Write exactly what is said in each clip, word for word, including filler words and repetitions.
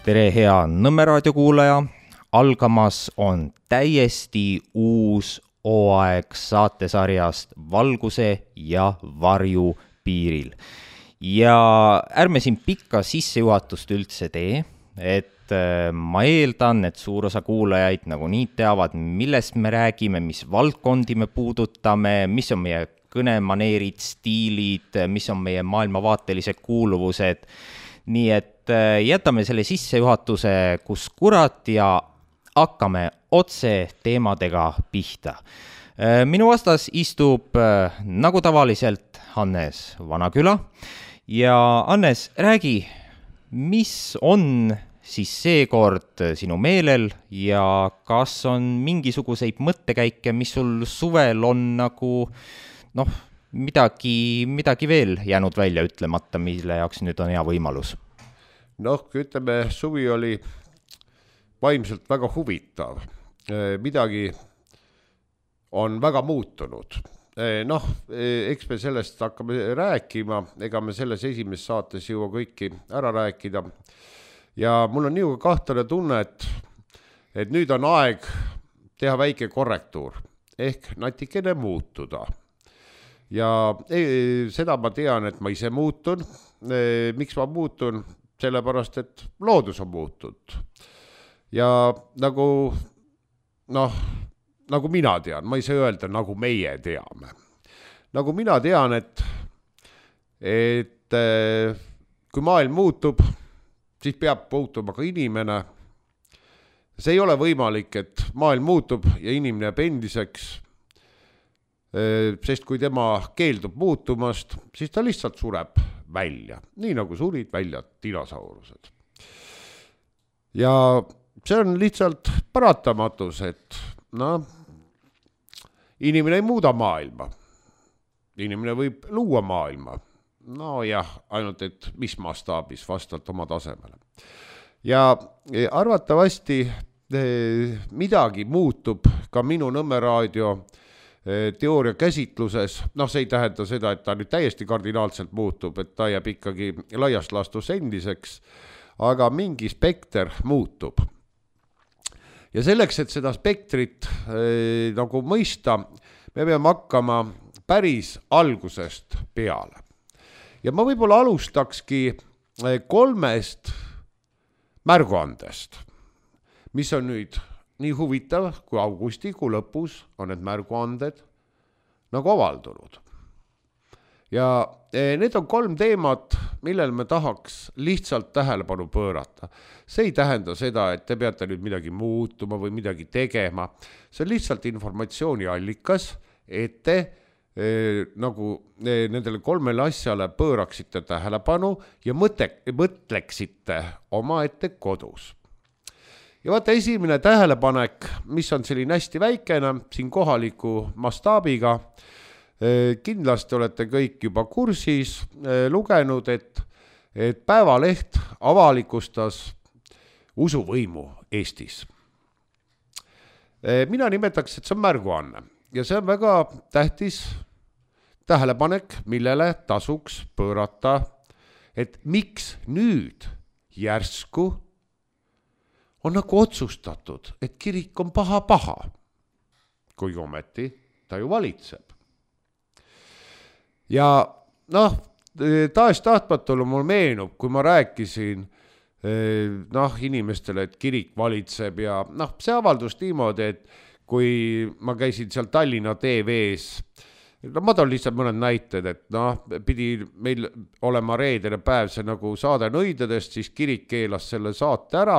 Tere hea Nõmme raadio kuulaja, algamas on täiesti uus hooaeg saatesarjast Valguse ja varju piiril. Ja ärme siin pikka sissejuhatust üldse tee, et ma eeldan, et suur osa kuulajaid nagu nii teavad, millest me räägime, mis valdkondi me puudutame, mis on meie kõnemaneerid, stiilid, mis on meie maailmavaatelised kuuluvused. Nii et jätame selle sissejuhatuse kus kurat ja hakkame otse teemadega pihta. Minu vastas istub nagu tavaliselt Hannes Vanaküla ja Hannes, räägi, mis on siis seekord sinu meelel ja kas on mingisuguseid mõttekäike, mis sul suvel on nagu noh, midagi, midagi veel jäänud välja ütlemata, mille jaoks nüüd on hea võimalus? Noh, ütleme, suvi oli vaimselt väga huvitav. Midagi on väga muutunud. Noh, eks me sellest hakkame rääkima, ega me selles esimeses saates jõua kõiki ära rääkida. Ja mul on nii kahtlane tunne, et, et nüüd on aeg teha väike korrektuur, ehk natikene muutuda. Ja seda ma tean, et ma ise muutun. Miks ma muutun? Sellepärast, et loodus on muutunud. Ja nagu, noh, nagu mina tean, ma ei saa öelda, nagu meie teame. Nagu mina tean, et, et kui maailm muutub, siis peab muutuma ka inimene. See ei ole võimalik, et maailm muutub ja inimene jääb endiseks, sest kui tema keeldub muutumast, siis ta lihtsalt sureb välja, nii nagu surid välja dinosaurused. Ja see on lihtsalt paratamatus, et no, inimene ei muuda maailma. Inimene võib luua maailma. No jah, ainult et mis mastaabis vastavalt oma tasemele. Ja arvatavasti midagi muutub ka minu Nõmme raadio teooria käsitluses. Noh, see ei tähenda seda, et ta nüüd täiesti kardinaalselt muutub, et ta jääb ikkagi laiast laastus endiseks, aga mingi spekter muutub. Ja selleks, et seda spektrit eh, nagu mõista, me peame hakkama päris algusest peale. Ja ma võib-olla alustakski kolmest märguandest, mis on nüüd nii huvitav, kui augustikuu lõpus on need märguanded nagu avaldunud. Ja need on kolm teemat, millel me tahaks lihtsalt tähelepanu pöörata. See ei tähenda seda, et te peate nüüd midagi muutuma või midagi tegema. See on lihtsalt informatsiooni allikas, et te eh, nagu eh, nendele kolmele asjale pööraksite tähelepanu ja mõte, mõtleksite oma ette kodus. Ja vaata, esimene tähelepanek, mis on selline hästi väikene, siin kohaliku mastaabiga, kindlasti olete kõik juba kursis lugenud, et, et Päevaleht avalikustas usuvõimu Eestis. Mina nimetaks, et see on märguanne ja see on väga tähtis tähelepanek, millele tasuks pöörata, et miks nüüd järsku on nagu otsustatud, et kirik on paha-paha, kui ometi ta ju valitseb. Ja noh, taas tahtmatule mul meenub, kui ma rääkisin noh, inimestele, et kirik valitseb ja noh, see avaldus niimoodi, et kui ma käisin seal Tallinna T V-s, no ma toon lihtsalt mõned näited, et noh, pidi meil olema reedene päev see nagu saade nõidadest, siis kirik keelas selle saate ära,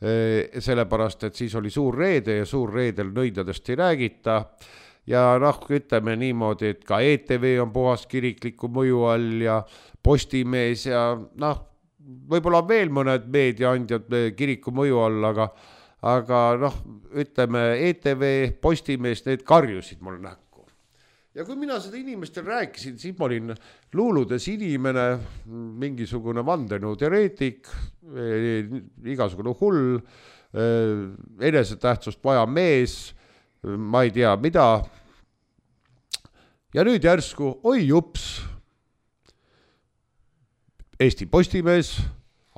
sellepärast, et siis oli suur reede ja suur reedel nõidadest ei räägita. Ja noh, ütleme niimoodi, et ka E T V on puhas kirikliku mõju all ja Postimees ja noh, võib-olla veel mõned meediaandjad kiriku mõju all, aga, aga noh, ütleme E T V, Postimees, need karjusid mul näkku. Ja kui mina seda inimestel rääkisin, siis ma olin luuludes inimene, mingisugune vandenõu teoreetik, igasugune hull, enesetähtsust vaja mees, ma ei tea mida. Ja nüüd järsku, oi jups, Eesti Postimees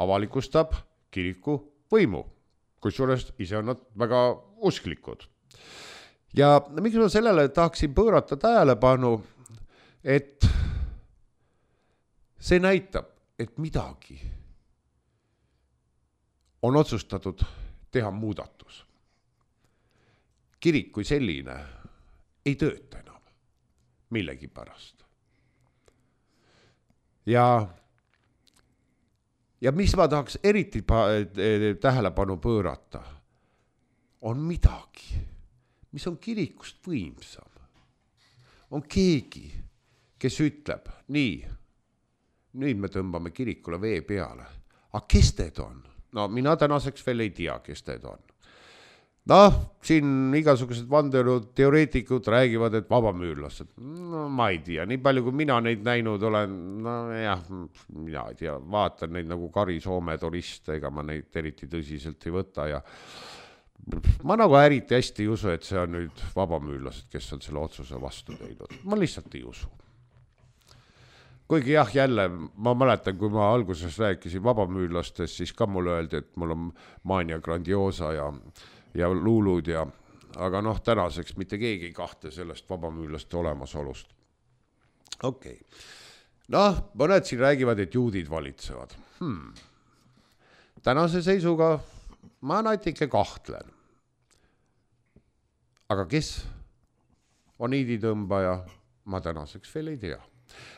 avalikustab kiriku võimu, kusjuures ise on nad väga usklikud. Ja miks ma sellele tahaksin pöörata tähelepanu, et see näitab, et midagi on otsustatud teha muudatus. Kirik kui selline ei tööta enam millegi pärast. Ja, ja mis ma tahaks eriti tähelepanu pöörata, on midagi, mis on kirikust võimsam. On keegi, kes ütleb, nii, nüüd me tõmbame kirikule vee peale. Aga kes teed on? No mina tänaseks veel ei tea, kes teed on. Noh, siin igasugused vandenud teoreetikud räägivad, et vabamüürlased. No ma ei tea, nii palju kui mina neid näinud olen, no jah, mina ei tea, vaatan neid nagu Kari Soome turiste, ega ma neid eriti tõsiselt ei võta ja ma nagu eriti hästi ei usu, et see on nüüd vabamüürlased, kes on selle otsuse vastu teinud. Ma lihtsalt ei usu. Kuigi jah, jälle, ma mäletan, kui ma alguses rääkisin vabamüürlastest, siis ka mulle öeldi, et mul on Mania Grandiosa ja, ja luulud, ja, aga noh, tänaseks mitte keegi ei kahte sellest vabamüürlaste olemasolust. Okei. Okay. Noh, mõned siin räägivad, et juudid valitsevad. Hmm. Tänase seisuga ma natuke kahtlen. Aga kes on iiditõmbaja, ma tänaseks veel ei tea.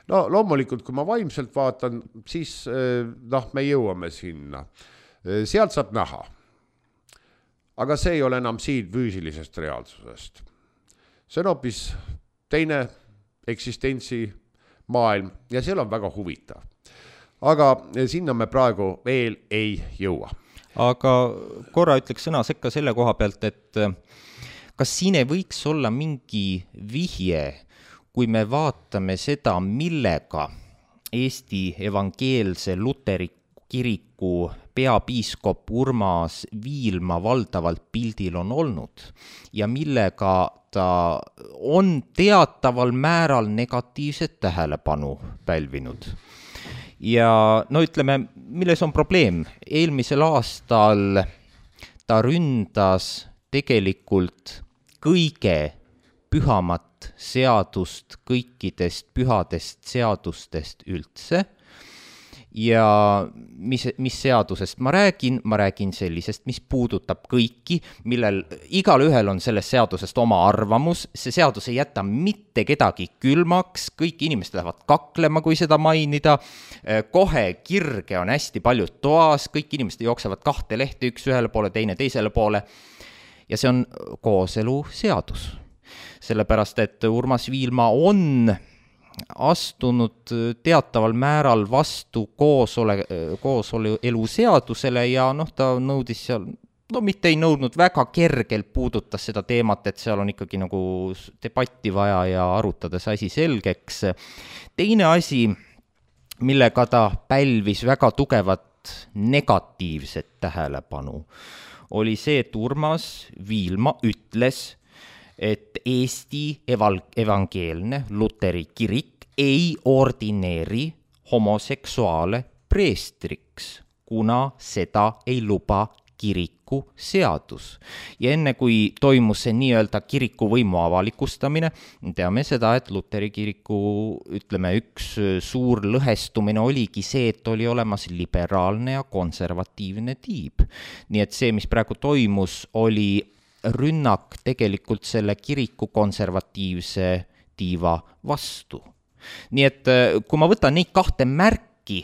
No loomulikult, kui ma vaimselt vaatan, siis noh, me jõuame sinna. Sealt saab näha. Aga see ei ole enam siin füüsilisest reaalsusest. See on hoopis teine eksistentsi maailm ja seal on väga huvitav. Aga sinna me praegu veel ei jõua. Aga korra ütleks sõna sekka selle koha pealt, et kas siin ei võiks olla mingi vihje, kui me vaatame seda, millega Eesti evangeelse luteri kiriku peapiiskop Urmas Viilma valdavalt pildil on olnud ja millega ta on teataval määral negatiivset tähelepanu pälvinud. Ja no ütleme, milles on probleem? Eelmisel aastal ta ründas tegelikult kõige pühamat seadust kõikidest pühadest seadustest üldse. Ja mis, mis seadusest ma räägin? Ma räägin sellisest, mis puudutab kõiki, millel igal ühel on sellest seadusest oma arvamus. See seadus ei jäta mitte kedagi külmaks, kõik inimesed lähevad kaklema, kui seda mainida. Kohe kirge on hästi palju toas, kõik inimesed jooksevad kahte lehte, üks ühele poole, teine teisele poole. Ja see on kooselu seadus. Sellepärast, et Urmas Viilma on astunud teataval määral vastu koosole, kooselu seadusele ja noh, ta nõudis seal, no mitte ei nõudnud, väga kergelt puudutas seda teemat, et seal on ikkagi nagu debatti vaja ja arutades asi selgeks. Teine asi, millega ta pälvis väga tugevat negatiivset tähelepanu, oli see, et Urmas Viilma ütles, et Eesti evangeelne luteri kirik ei ordineeri homoseksuaale preestriks, kuna seda ei luba kiriku seadus. Ja enne kui toimus see nii-öelda kiriku võimu avalikustamine, teame seda, et luteri kiriku, ütleme, üks suur lõhestumine oligi see, et oli olemas liberaalne ja konservatiivne tiib. Nii et see, mis praegu toimus, oli rünnak tegelikult selle kiriku konservatiivse tiiva vastu. Nii et kui ma võtan neid kahte märki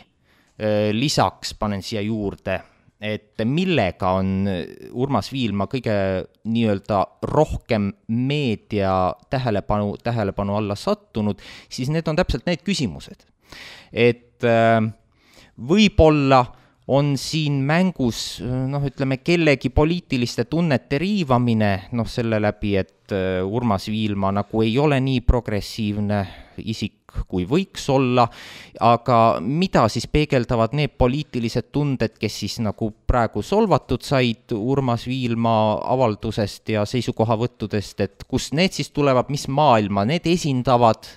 lisaks, panen siia juurde, et millega on Urmas Viilma kõige nii-öelda rohkem meedia tähelepanu, tähelepanu alla sattunud, siis need on täpselt need küsimused. Et võib-olla on siin mängus, noh, ütleme, kellegi poliitiliste tunnete riivamine, noh, selle läbi, et Urmas Viilma nagu ei ole nii progressiivne isik, kui võiks olla, aga mida siis peegeldavad need poliitilised tunded, kes siis nagu praegu solvatud said Urmas Viilma avaldusest ja seisukohavõttudest, et kus need siis tulevad, mis maailma need esindavad,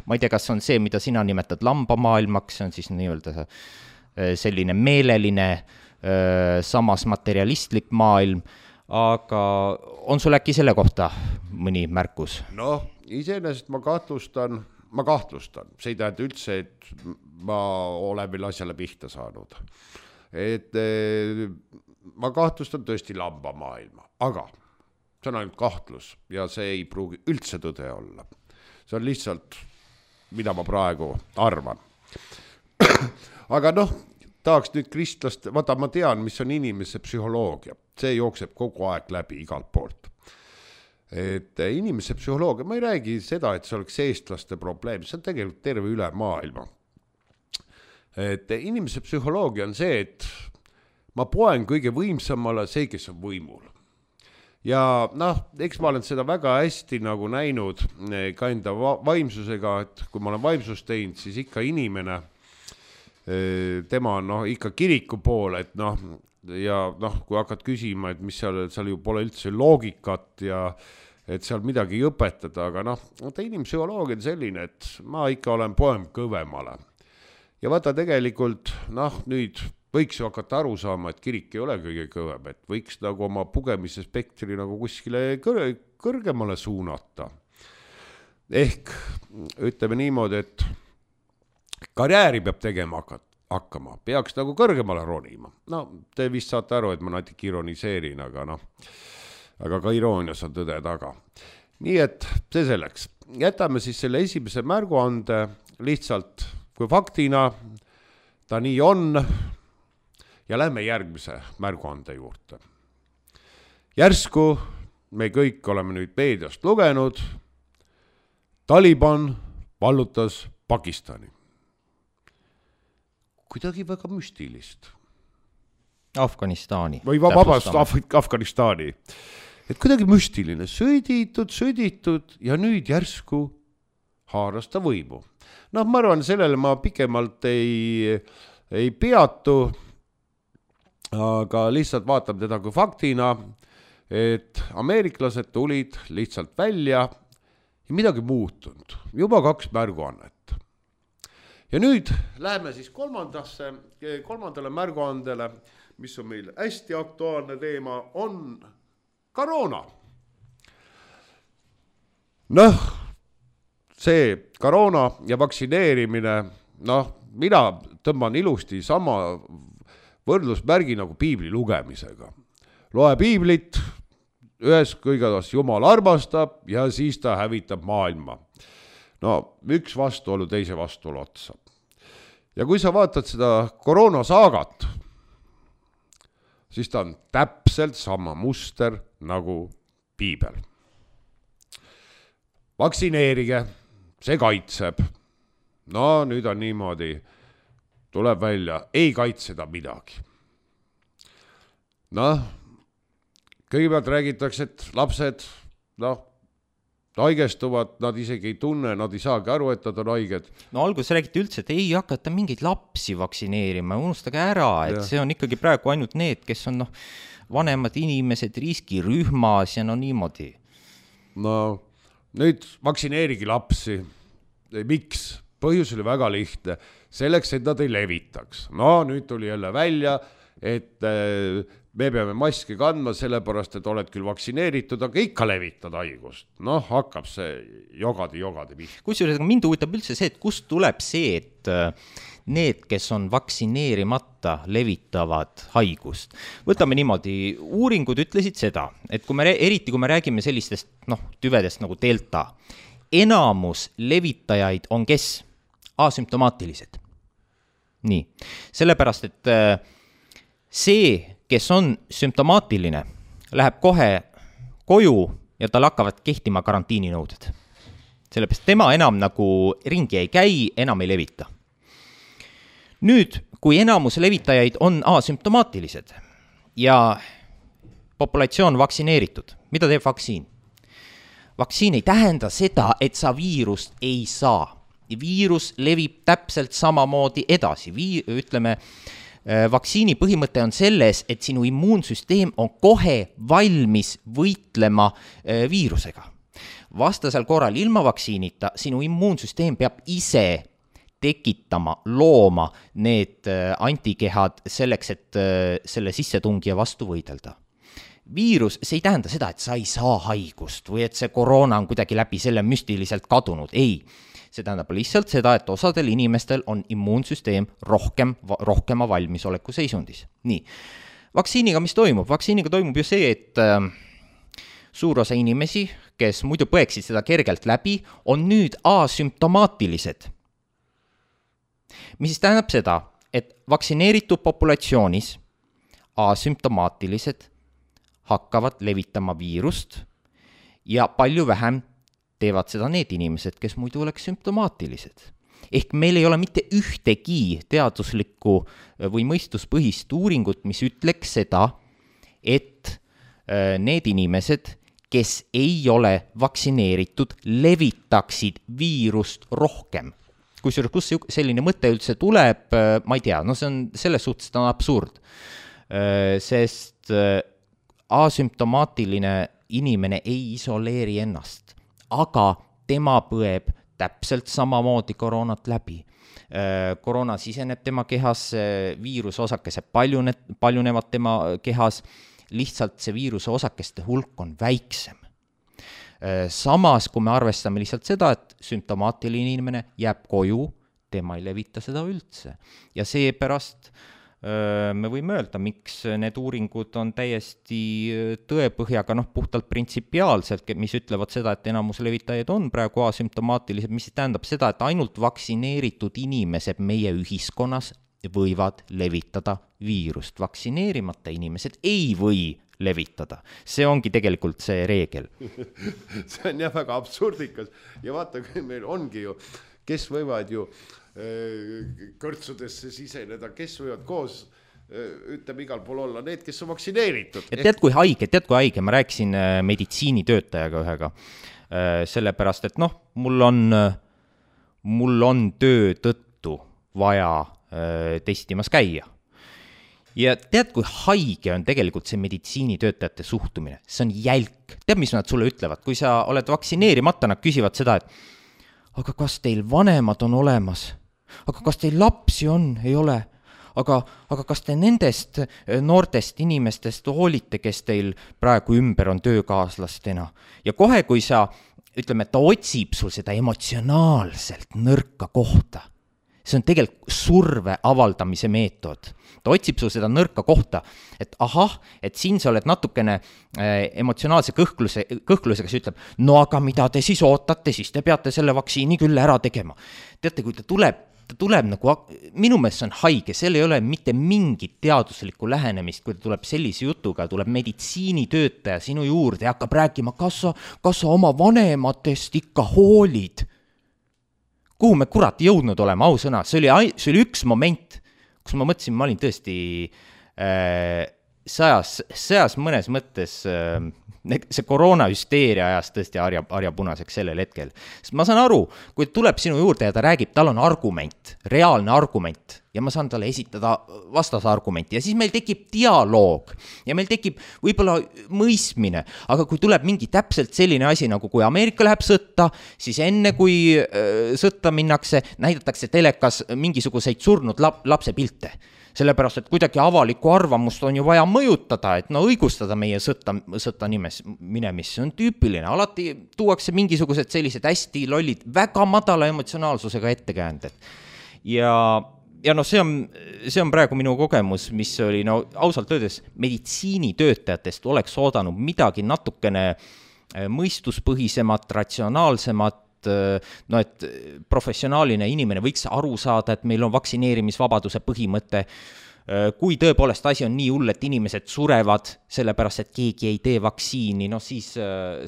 ma ei tea, kas on see, mida sina nimetad lambamaailmaks, see on siis nii-öelda selline meeleline samas materialistlik maailm, aga on sul äkki selle kohta mõni märkus? Noh, iseenesest ma kahtlustan, ma kahtlustan, see ei tähenda üldse, et ma olen veel asjale pihta saanud. Et ma kahtlustan tõesti lamba maailma, aga see on ainult kahtlus ja see ei pruugi üldse tõde olla. See on lihtsalt, mida ma praegu arvan. Aga noh, tahaks nüüd kristlast, vaata ma tean, mis on inimese psühholoogia. See jookseb kogu aeg läbi igalt poolt. Et inimese psühholoogia, ma ei räägi seda, et see oleks eestlaste probleem, see on tegelikult terve üle maailma. Et inimese psühholoogia on see, et ma poen kõige võimsamale see, kes on võimul. Ja noh, eks ma olen seda väga hästi nagu näinud ka enda vaimsusega, et kui ma olen vaimsust teinud, siis ikka inimene, tema on noh, ikka kiriku poole, et noh, ja noh, kui hakkad küsima, et mis seal, seal ju pole üldse loogikat ja et seal midagi ei õpetada, aga noh, ta inimpsühholoogia on selline, et ma ikka olen poem kõvemale. Ja vaata tegelikult, noh, nüüd võiks ju hakata aru saama, et kirik ei ole kõige kõvem, et võiks nagu oma pugemise spektri nagu kuskile kõr kõrgemale suunata. Ehk ütleme niimoodi, et karjääri peab tegema hakkama, peaks nagu kõrgemale ronima. No, te vist saate aru, et ma natuke ironiseerin, aga noh, aga ka iroonias on tõde taga. Nii et see selleks. Jätame siis selle esimese märguande lihtsalt kui faktina, ta nii on, ja lähme järgmise märguande juurde. Järsku me kõik oleme nüüd meediast lugenud, Taliban vallutas Pakistani. Kuidagi väga müstilist. Afganistani. Või vabast Af Afganistani. Et kuidagi müstiline, sõditud, sõditud ja nüüd järsku haaras ta võimu. Noh, ma arvan, sellele ma pikemalt ei, ei peatu, aga lihtsalt vaatab teda kui faktina, et ameeriklased tulid lihtsalt välja ja midagi muutunud. Juba kaks märguannet. Ja nüüd läheme siis kolmandasse, kolmandale märguandele, mis on meil hästi aktuaalne teema, on koroona. Noh, see koroona ja vaktsineerimine, noh, mina tõmban ilusti sama võrdlusmärgi nagu piibli lugemisega. Loe piiblit, ühes kõigedas Jumal armastab ja siis ta hävitab maailma. No, üks vastuolu teise vastuolu otsa. Ja kui sa vaatad seda koroonasaagat, siis ta on täpselt sama muster nagu piibel. Vaktsineerige, see kaitseb. No nüüd on niimoodi, tuleb välja, ei kaitseda midagi. Noh, kõigepealt räägitakse, et lapsed, noh, haigestuvad, nad isegi ei tunne, nad ei saagi aru, et nad on haiged. No alguses räägiti üldse, et ei hakata mingeid lapsi vaktsineerima, unustage ära, et ja. See on ikkagi praegu ainult need, kes on noh, vanemad inimesed riskirühmas ja no niimoodi. No nüüd vaktsineerigi lapsi. Miks? Põhjus oli väga lihtne. Selleks, et nad ei levitaks. No nüüd tuli jälle välja, et me peame maski kandma, sellepärast, et oled küll vaktsineeritud, aga ikka levitad haigust. Noh, hakkab see jogadi, jogadi pihta. Kusjuures mind huvitab üldse see, et kust tuleb see, et need, kes on vaktsineerimata, levitavad haigust. Võtame niimoodi, uuringud ütlesid seda, et kui me, eriti kui me räägime sellistest noh, tüvedest nagu delta, enamus levitajaid on kes? Asümptomaatilised. Nii, sellepärast, et see, kes on sümptomaatiline, läheb kohe koju ja tal hakkavad kehtima karantiininõuded. Sellepärast tema enam nagu ringi ei käi, enam ei levita. Nüüd, kui enamus levitajaid on asümptomaatilised ja populatsioon vaktsineeritud, mida teeb vaktsiin? Vaktsiin ei tähenda seda, et sa viirust ei saa. Viirus levib täpselt samamoodi edasi. Vii, ütleme, vaktsiini põhimõte on selles, et sinu immuunsüsteem on kohe valmis võitlema viirusega. Vastasel korral ilma vaktsiinita sinu immuunsüsteem peab ise tekitama, looma need antikehad selleks, et selle sissetungija vastu võidelda. Viirus, see ei tähenda seda, et sa ei saa haigust või et see koroona on kuidagi läbi selle müstiliselt kadunud. Ei, see tähendab lihtsalt seda, et osadel inimestel on immuunsüsteem rohkem, rohkema valmisoleku seisundis. Nii, vaktsiiniga mis toimub? Vaktsiiniga toimub ju see, et äh, suur osa inimesi, kes muidu põeksid seda kergelt läbi, on nüüd asümptomaatilised. Mis siis tähendab seda, et vaktsineeritud populatsioonis asümptomaatilised hakkavad levitama viirust ja palju vähem teevad seda need inimesed, kes muidu oleks sümptomaatilised. Ehk meil ei ole mitte ühtegi teaduslikku või mõistuspõhist uuringut, mis ütleks seda, et need inimesed, kes ei ole vaktsineeritud, levitaksid viirust rohkem. Kusjuures, kus selline mõte üldse tuleb, ma ei tea, no see on selles suhtes on absurd, sest asümptomaatiline inimene ei isoleeri ennast, aga tema põeb täpselt samamoodi koroonat läbi. Koroona siseneb tema kehas, viiruse osakesed paljunevad tema kehas, lihtsalt see viiruse osakeste hulk on väiksem. Samas, kui me arvestame lihtsalt seda, et sümptomaatiline inimene jääb koju, tema ei levita seda üldse. Ja seepärast me võime öelda, miks need uuringud on täiesti tõepõhjaga, noh, puhtalt printsipiaalselt, mis ütlevad seda, et enamus levitajaid on praegu asümptomaatilised, mis tähendab seda, et ainult vaktsineeritud inimesed meie ühiskonnas võivad levitada viirust. Vaktsineerimata inimesed ei või levitada. See ongi tegelikult see reegel. See on jah väga absurdikas ja vaata, meil ongi ju, kes võivad ju kõrtsudesse siseneda, kes võivad koos, ütleme igal pool olla, need, kes on vaktsineeritud. Ja tead, kui haige, tead, kui haige, ma rääkisin meditsiinitöötajaga ühega, sellepärast, et noh, mul on, mul on töö tõttu vaja testimas käia. Ja tead, kui haige on tegelikult see meditsiinitöötajate suhtumine, see on jälk. Tead, mis nad sulle ütlevad? Kui sa oled vaktsineerimata, nad küsivad seda, et aga kas teil vanemad on olemas? Aga kas teil lapsi on? Ei ole. Aga, aga kas te nendest noortest inimestest hoolite, kes teil praegu ümber on töökaaslastena? Ja kohe, kui sa, ütleme, ta otsib sul seda emotsionaalselt nõrka kohta, see on tegelikult surve avaldamise meetod. Ta otsib sul seda nõrka kohta, et ahah, et siin sa oled natukene äh, emotsionaalse kõhkluse, kõhklusega, kes ütleb, no aga mida te siis ootate, siis te peate selle vaktsiini küll ära tegema. Teate, kui ta tuleb, ta tuleb nagu, minu meelest see on haige, seal ei ole mitte mingit teaduslikku lähenemist, kui ta tuleb sellise jutuga, tuleb meditsiinitöötaja sinu juurde ja hakkab rääkima, kas sa, kas sa oma vanematest ikka hoolid. Kuhu me kurat jõudnud olema, ausõna, see oli, see oli üks moment, kus ma mõtlesin, ma olin tõesti äh, sõjas, sõjas mõnes mõttes, äh, see koroonahüsteeria ajas tõesti harja, harja punaseks sellel hetkel. Sest ma saan aru, kui tuleb sinu juurde ja ta räägib, tal on argument, reaalne argument, ja ma saan talle esitada vastasargumenti ja siis meil tekib dialoog ja meil tekib võib-olla mõistmine, aga kui tuleb mingi täpselt selline asi, nagu kui Ameerika läheb sõtta, siis enne kui äh, sõtta minnakse, näidatakse telekas mingisuguseid surnud lap, lapse pilte. Sellepärast, et kuidagi avalikku arvamust on ju vaja mõjutada, et no õigustada meie sõtta, sõtta nimes, minemis. See on tüüpiline. Alati tuuakse mingisugused sellised hästi lollid, väga madala emotsionaalsusega ettekäänded. Ja, ja no see on, see on praegu minu kogemus, mis oli no, ausalt öeldes meditsiinitöötajatest oleks oodanud midagi natukene mõistuspõhisemat, ratsionaalsemat, no et professionaaline inimene võiks aru saada, et meil on vaktsineerimisvabaduse põhimõte. Kui tõepoolest asi on nii hull, et inimesed surevad sellepärast, et keegi ei tee vaktsiini, no siis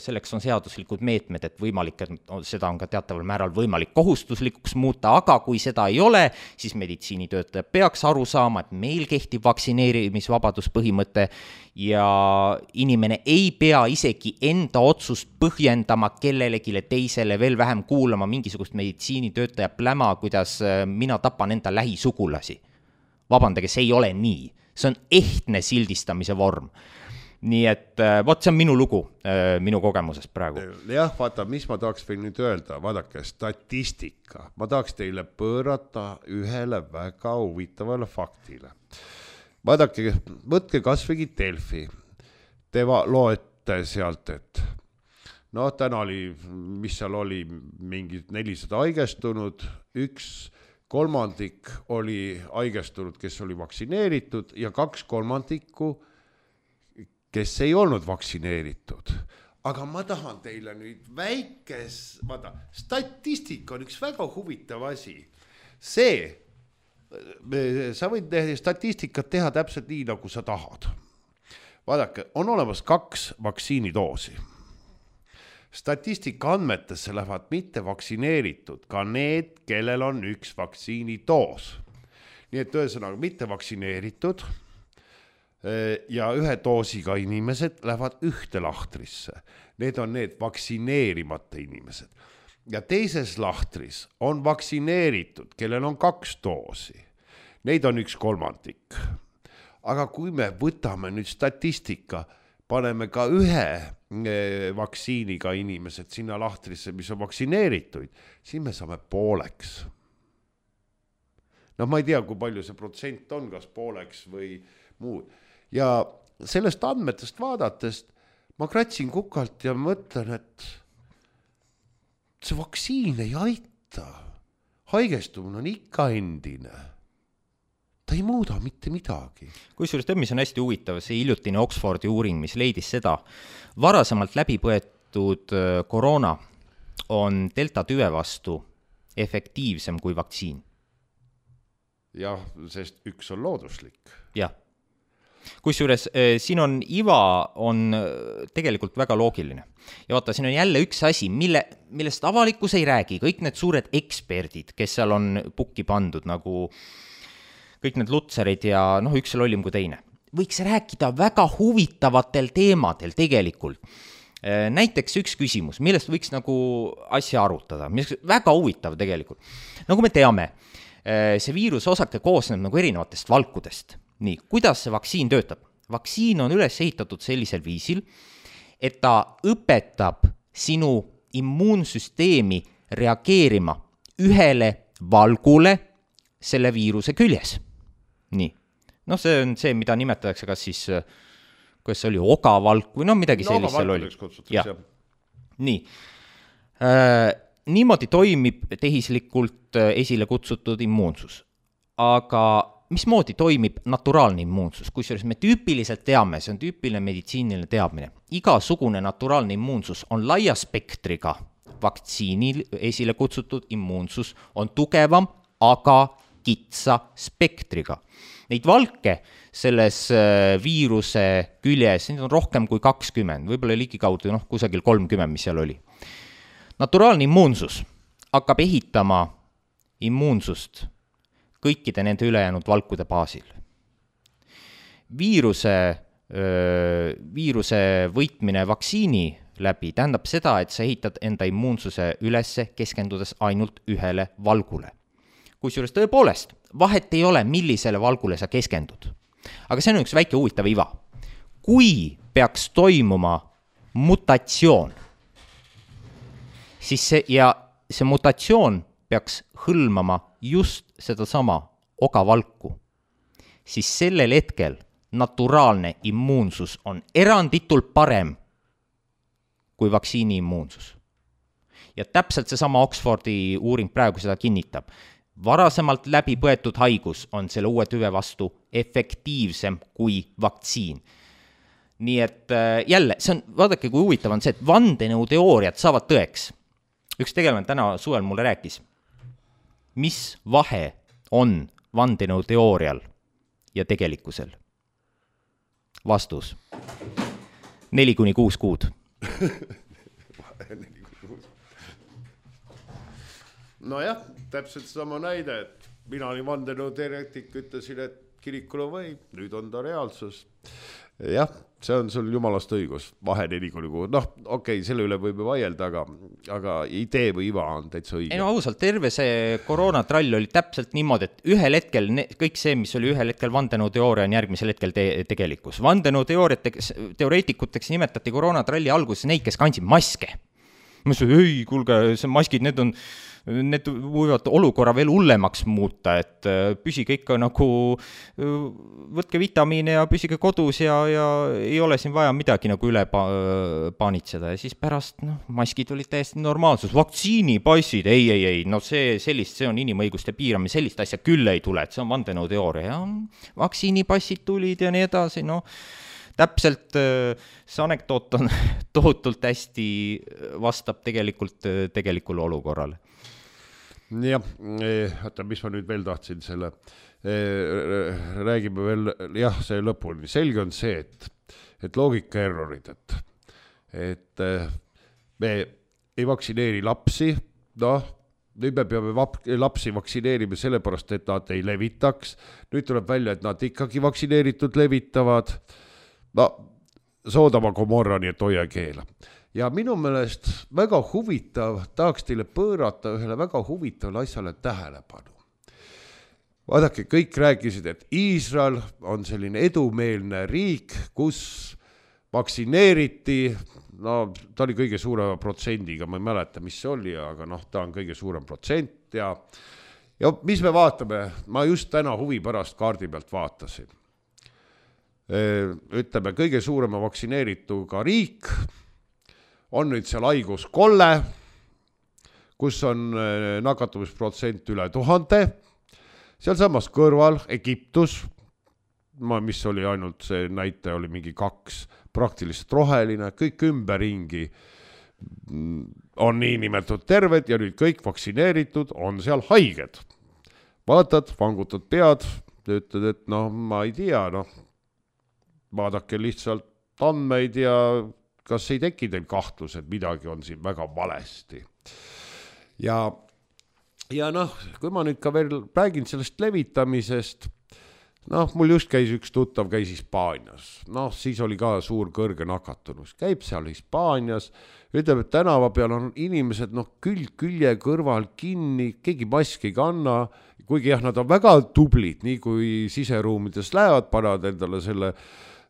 selleks on seaduslikud meetmed, et võimalik, et seda on ka teataval määral võimalik kohustuslikuks muuta, aga kui seda ei ole, siis meditsiinitöötaja peaks aru saama, et meil kehtib vaktsineerimisvabaduspõhimõte ja inimene ei pea isegi enda otsust põhjendama kellelegile teisele, veel vähem kuulama mingisugust meditsiinitöötaja pläma, kuidas mina tapan enda lähisugulasi. Vabandage, see ei ole nii. See on ehtne sildistamise vorm. nii et vot see on minu lugu, minu kogemusest praegu. Jah, vaata, mis ma tahaks veel nüüd öelda, vaadake, statistika. Ma tahaks teile pöörata ühele väga huvitavale faktile. Vaadake, võtke kasvõi Delfi. Te loete sealt, et no täna oli, mis seal oli, mingid nelisada haigestunud, üks kolmandik oli haigestunud, kes oli vaktsineeritud ja kaks kolmandikku kes ei olnud vaktsineeritud. Aga ma tahan teile nüüd väikes, vaata, statistika on üks väga huvitav asi. See, sa võid statistikat teha täpselt nii, nagu sa tahad. Vaadake, on olemas kaks vaktsiinidoosi. Statistika andmetesse lähevad mitte vaktsineeritud, ka need, kellel on üks vaktsiinidoos. Nii et ühesõnaga mitte vaktsineeritud ja ühe doosiga inimesed lähevad ühte lahtrisse. Need on need vaktsineerimata inimesed. Ja teises lahtris on vaktsineeritud, kellel on kaks doosi. Neid on üks kolmandik. Aga kui me võtame nüüd statistika, paneme ka ühe vaktsiiniga inimesed sinna lahtrisse, mis on vaktsineerituid, siis me saame pooleks. No ma ei tea, kui palju see protsent on, kas pooleks või muud. Ja sellest andmetest vaadatest ma kratsin kukalt ja mõtlen, et see vaktsiin ei aita. Haigestumine on ikka endine. Ta ei muuda mitte midagi. Kusjuures tõmmis on hästi huvitav, see hiljutine Oxfordi uuring, mis leidis seda. Varasemalt läbipõetud koroona on delta tüve vastu efektiivsem kui vaktsiin. Jah, sest üks on looduslik. Jah. Kusjuures siin on iva on tegelikult väga loogiline. Ja vaata, siin on jälle üks asi, mille, millest avalikkus ei räägi. Kõik need suured eksperdid, kes seal on pukki pandud, nagu kõik need lutserid ja noh, üks seal ollim kui teine. Võiks rääkida väga huvitavatel teemadel tegelikult. Näiteks üks küsimus, millest võiks nagu asja arutada, mis on väga huvitav tegelikult. Nagu me teame, see viiruse osake koosneb nagu erinevatest valkudest. Nii, kuidas see vaktsiin töötab? Vaktsiin on üles ehitatud sellisel viisil, et ta õpetab sinu immuunsüsteemi reageerima ühele valgule selle viiruse küljes. Nii. No see on see, mida nimetatakse kas siis, kuidas see oli, ogavalk või no midagi no, sellist seal oli. Ja. Nii. Äh, niimoodi toimib tehislikult esile kutsutud immuunsus. Aga mismoodi toimib naturaalne immuunsus, kusjuures me tüüpiliselt teame, see on tüüpiline meditsiiniline teadmine. Igasugune naturaalne immuunsus on laia spektriga, vaktsiinil esile kutsutud immuunsus on tugevam, aga kitsa spektriga. Neid valke selles viiruse küljes, neid on rohkem kui kakskümmend, võib-olla ligikaudu noh, kusagil kolmkümmend, mis seal oli. Naturaalne immuunsus hakkab ehitama immuunsust kõikide nende ülejäänud valkude baasil. Viiruse, öö, viiruse võitmine vaktsiini läbi tähendab seda, et sa ehitad enda immuunsuse ülesse keskendudes ainult ühele valgule. Kusjuures tõepoolest, vahet ei ole, millisele valgule sa keskendud. Aga see on üks väike huvitav iva. Kui peaks toimuma mutatsioon, siis see, ja see mutatsioon peaks hõlmama just seda sama ogavalku, siis sellel hetkel naturaalne immuunsus on eranditult parem kui vaktsiini immuunsus. Ja täpselt see sama Oxfordi uuring praegu seda kinnitab. Varasemalt läbi põetud haigus on selle uue tüve vastu efektiivsem kui vaktsiin. Nii et jälle, see on, vaadake kui huvitav on see, et vandenõuteooriad saavad tõeks. Üks tegelane täna suvel mulle rääkis, mis vahe on vandenõuteoorial ja tegelikkusel? Vastus. Neli kuni kuus kuud. No jah, täpselt sama näide, et mina olin vandenõuteoreetik, ütlesin, et kirikule võib, nüüd on ta reaalsus. jah, see on sul jumalast õigus, vahene nagu, nagu noh, okei okay,, selle üle võime vaielda, aga, aga idee või iva on täitsa õige. Ei no ausalt, terve see koroonatrall oli täpselt niimoodi, et ühel hetkel ne, kõik see, mis oli ühel hetkel vandenõuteooria, on järgmisel hetkel te, tegelikkus. Vandenõuteooriateks, teoreetikuteks nimetati koroonatralli alguses neid, kes kandsid maske. Ma ütlesin, ei, kuulge, see maskid, need on, need võivad olukorra veel hullemaks muuta, et püsige ikka nagu, võtke vitamiine ja püsige kodus ja, ja ei ole siin vaja midagi nagu üle pa- paanitseda. Ja siis pärast, noh, maskid olid täiesti normaalsus. Vaktsiinipassid, ei, ei, ei, no see, sellist, see on inimõiguste piiramine, sellist asja küll ei tule, et see on vandenõuteooria. Ja vaktsiinipassid tulid ja nii edasi, noh. Täpselt see anekdoot on tohutult hästi vastab tegelikult tegelikule olukorrale. Jah, oota, mis ma nüüd veel tahtsin selle, räägime veel, jah, see lõpuni. Selge on see, et, et loogika errorid, et, et me ei vaktsineeri lapsi, noh, nüüd me peame vap- lapsi vaktsineerima sellepärast, et nad ei levitaks. Nüüd tuleb välja, et nad ikkagi vaktsineeritud levitavad. No, soodama komorrani, et hoia keela. Ja minu meelest väga huvitav, tahaks teile pöörata ühele väga huvitavale asjale tähelepanu. Vaadake, kõik rääkisid, et Iisrael on selline edumeelne riik, kus vaktsineeriti, no ta oli kõige suurema protsendiga, ma ei mäleta, mis see oli, aga noh, ta on kõige suurem protsent ja, ja mis me vaatame, ma just täna huvi pärast kaardi pealt vaatasin. Ütleme, kõige suurema vaktsineerituga riik on nüüd seal haiguskolle, kus on nakatumisprotsent üle tuhande, seal samas kõrval Egiptus, mis oli ainult see näite, oli mingi kaks, praktiliselt roheline, kõik ümberringi on nii nimetud terved ja nüüd kõik vaktsineeritud on seal haiged. Vaatad, vangutad pead, ütled, et noh, ma ei tea, noh, vaadake lihtsalt andmeid ja kas ei teki teil kahtlus, et midagi on siin väga valesti. Ja, ja noh, kui ma nüüd ka veel räägin sellest levitamisest, noh, mul just käis üks tuttav, käis Hispaanias. Noh, siis oli ka suur kõrge nakatunus. Käib seal Hispaanias, ütleb, et tänava peal on inimesed, noh, külg külje kõrval kinni, keegi maski ei kanna, kuigi jah, nad on väga tublid, nii kui siseruumides lähevad, panevad endale selle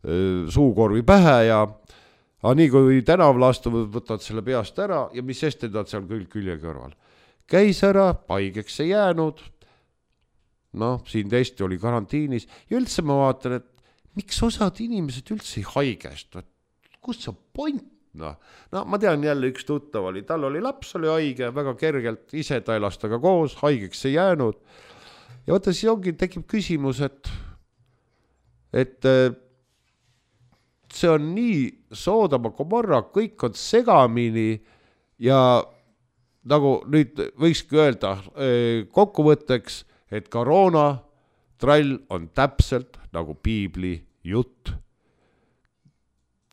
suukorvi pähe ja aga nii kui tänaval astuvad, võtavad selle peast ära ja mis sest, et nad seal küll külje kõrval. Käis ära, haigeks ei jäänud, noh, siin testi oli karantiinis ja üldse ma vaatan, et miks osad inimesed üldse ei haigestu, et kus see point, noh, no ma tean jälle üks tuttav oli, tal oli laps, oli haige, väga kergelt, ise ta elas taga koos, haigeks ei jäänud ja vaata, siis ongi, tekib küsimus, et et see on nii soodama komorra, kõik on segamini ja nagu nüüd võikski öelda kokkuvõtteks, et koroona trall on täpselt nagu piibli jutt.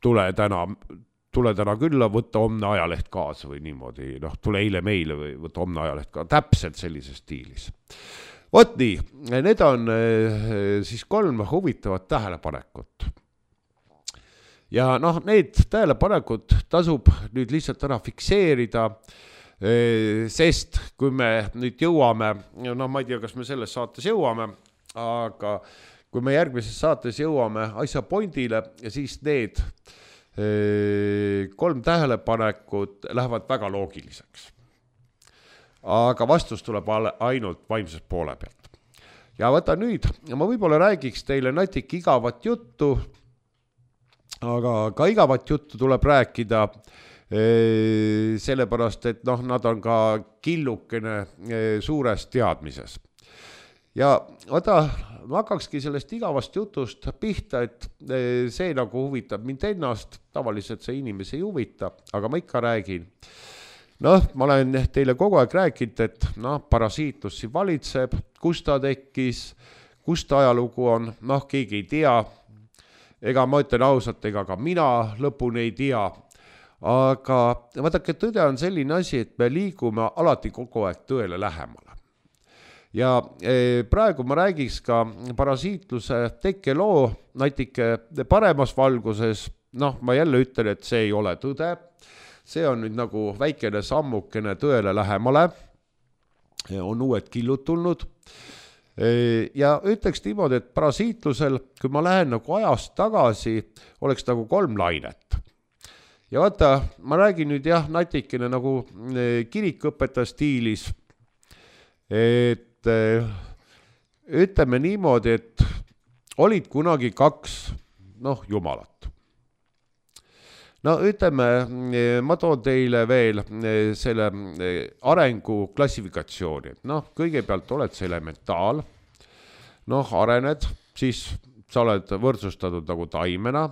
Tule täna, tule täna külla, võtta homne ajaleht kaasa või niimoodi, noh, tule eile meile või võtta homne ajaleht kaasa, täpselt sellises stiilis. Vot nii, need on siis kolm huvitavat tähelepanekut. Ja noh, need tähelepanekud tasub nüüd lihtsalt ära fikseerida, sest kui me nüüd jõuame, noh, ma ei tea, kas me selles saates jõuame, aga kui me järgmises saates jõuame asja pointile ja siis need kolm tähelepanekut lähevad väga loogiliseks. Aga vastus tuleb ainult vaimsest poole pealt. Ja võta nüüd, ma võib-olla räägiks teile natik igavat juttu, aga ka igavat juttu tuleb rääkida sellepärast, et noh, nad on ka killukene suures teadmises. Ja vaata, ma hakkakski sellest igavast jutust pihta, et see nagu huvitab mind ennast, tavaliselt see inimesi ei huvita, aga ma ikka räägin. Noh, ma olen teile kogu aeg rääkinud, et noh, parasiitlus siin valitseb, kus ta tekkis, kus ta ajalugu on, noh, keegi ei tea. Ega ma ütlen ausalt, ega ka mina lõpuni ei tea. Aga vaadake, tõde on selline asi, et me liigume alati kogu aeg tõele lähemale. ja praegu ma räägiks ka parasiitluse tekkeloo natuke paremas valguses. Noh, ma jälle ütlen, et see ei ole tõde. See on nüüd nagu väikene sammukene tõele lähemale. On uued killud tulnud. Ja ütleks niimoodi, et parasiitlusel, kui ma lähen nagu ajast tagasi, oleks nagu kolm lainet. Ja vaata, ma räägin nüüd jah, natikene nagu kirikõpetaja stiilis, et ütleme niimoodi, et olid kunagi kaks, noh, jumalat. No ütleme, ma toon teile veel selle arengu klassifikatsiooni. Noh, kõigepealt oled see elementaal, noh, arened, siis sa oled võrdsustatud nagu taimena,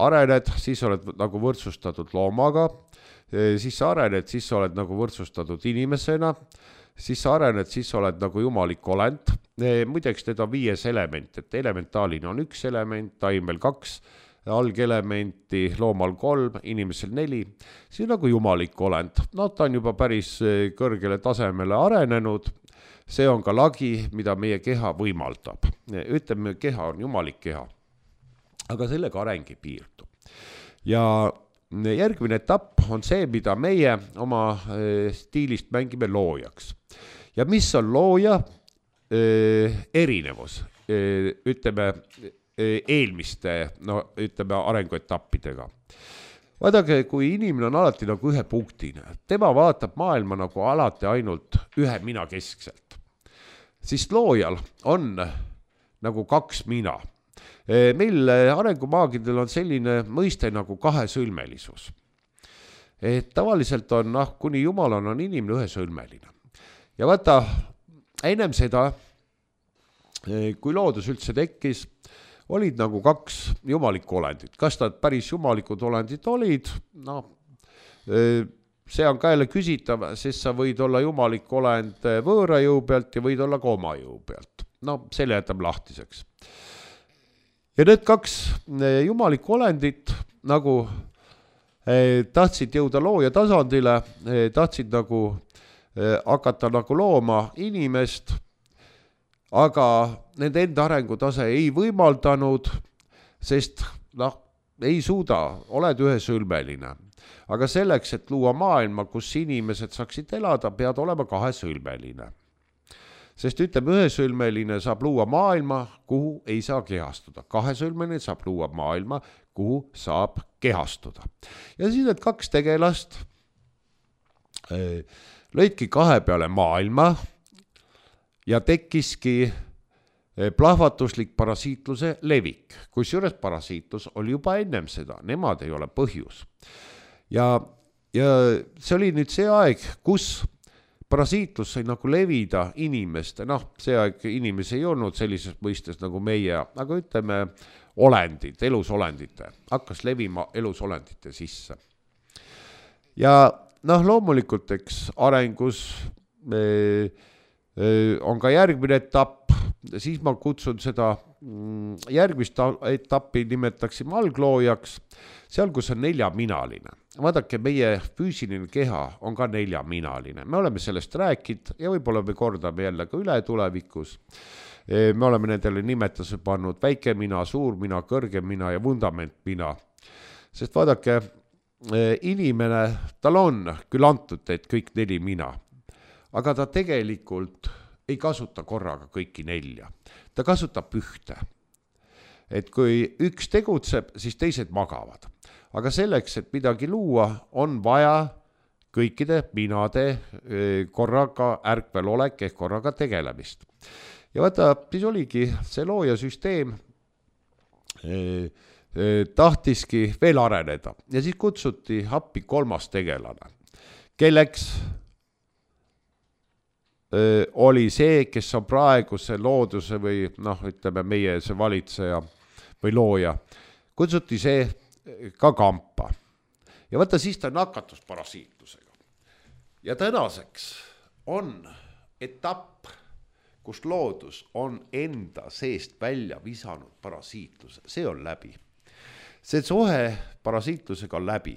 arened, siis oled nagu võrdsustatud loomaga, siis sa arened, siis sa oled nagu võrdsustatud inimesena, siis sa arened, siis sa oled nagu jumalik olend. Muideks need on viies element, et elementaalina on üks element, taimel kaks, algelementi, loomal kolm, inimesel neli. See on nagu jumalik olend. No ta on juba päris kõrgele tasemele arenenud. See on ka lagi, mida meie keha võimaldab. Ütleme, keha on jumalik keha. Aga sellega areng ei piirdu. Ja järgmine etapp on see, mida meie oma stiilist mängime loojaks. Ja mis on looja erinevus, ütleme eelmiste, no ütleme arenguetappidega. Vaadake, kui inimene on alati nagu ühe punktine, tema vaatab maailma nagu alati ainult ühe mina keskselt, siis loojal on nagu kaks mina. Meil arengumaagidel on selline mõiste nagu kahesõlmelisus. Et tavaliselt on, noh, kuni jumalana on inimene ühesõlmeline. Ja vaata, ennem seda, kui loodus üldse tekkis, olid nagu kaks jumalikku olendit. Kas nad päris jumalikud olendid olid? No, see on ka jälle küsitav, sest sa võid olla jumalik olend võõra jõu pealt ja võid olla ka oma jõu pealt. No, selle jätab lahtiseks. Ja need kaks jumalikku olendit nagu tahtsid jõuda looja tasandile, tahtsid nagu hakata nagu looma inimest, aga nende enda arengutase ei võimaldanud, sest noh, ei suuda, oled ühesõlmeline. Aga selleks, et luua maailma, kus inimesed saaksid elada, pead olema kahesõlmeline. Sest ütleme, ühesõlmeline saab luua maailma, kuhu ei saa kehastuda. Kahesõlmeline saab luua maailma, kuhu saab kehastuda. Ja siis need kaks tegelast lõidki kahe peale maailma ja tekkiski plahvatuslik parasiitluse levik. Kusjuures parasiitlus oli juba ennem seda, nemad ei ole põhjus. Ja, ja see oli nüüd see aeg, kus parasiitlus sai nagu levida inimeste, noh, see aeg inimesi ei olnud sellises mõistes nagu meie, aga ütleme olendid, elusolendite, hakkas levima elusolendite sisse. Ja noh, loomulikult, eks arengus me, on ka järgmine etapp, siis ma kutsun seda järgmist etappi nimetaksime algloojaks, seal, kus on neljaminaline. Vaadake, meie füüsiline keha on ka neljaminaline. Me oleme sellest rääkinud ja võib-olla me kordame jälle ka üle tulevikus. Me oleme nendele nimetuse pannud väike mina, suur mina, kõrge mina ja vundament mina. Sest vaadake, inimene, tal on küll antud, et kõik neli mina, aga ta tegelikult ei kasuta korraga kõiki nelja. Ta kasutab ühte. Et kui üks tegutseb, siis teised magavad. Aga selleks, et midagi luua, on vaja kõikide minade korraga ärkvel olek ehk korraga tegelemist. Ja vaata, siis oligi see loojasüsteem tahtiski veel areneda. Ja siis kutsuti appi kolmas tegelane, kelleks oli see, kes on praegu see looduse või noh, ütleme meie see valitseja või looja. Kutsuti see ka kampa. Ja vaata, siis ta nakatus parasiitlusega. Ja tänaseks on etapp, kus loodus on enda seest välja visanud parasiitluse. See on läbi. See suhe parasiitlusega on läbi.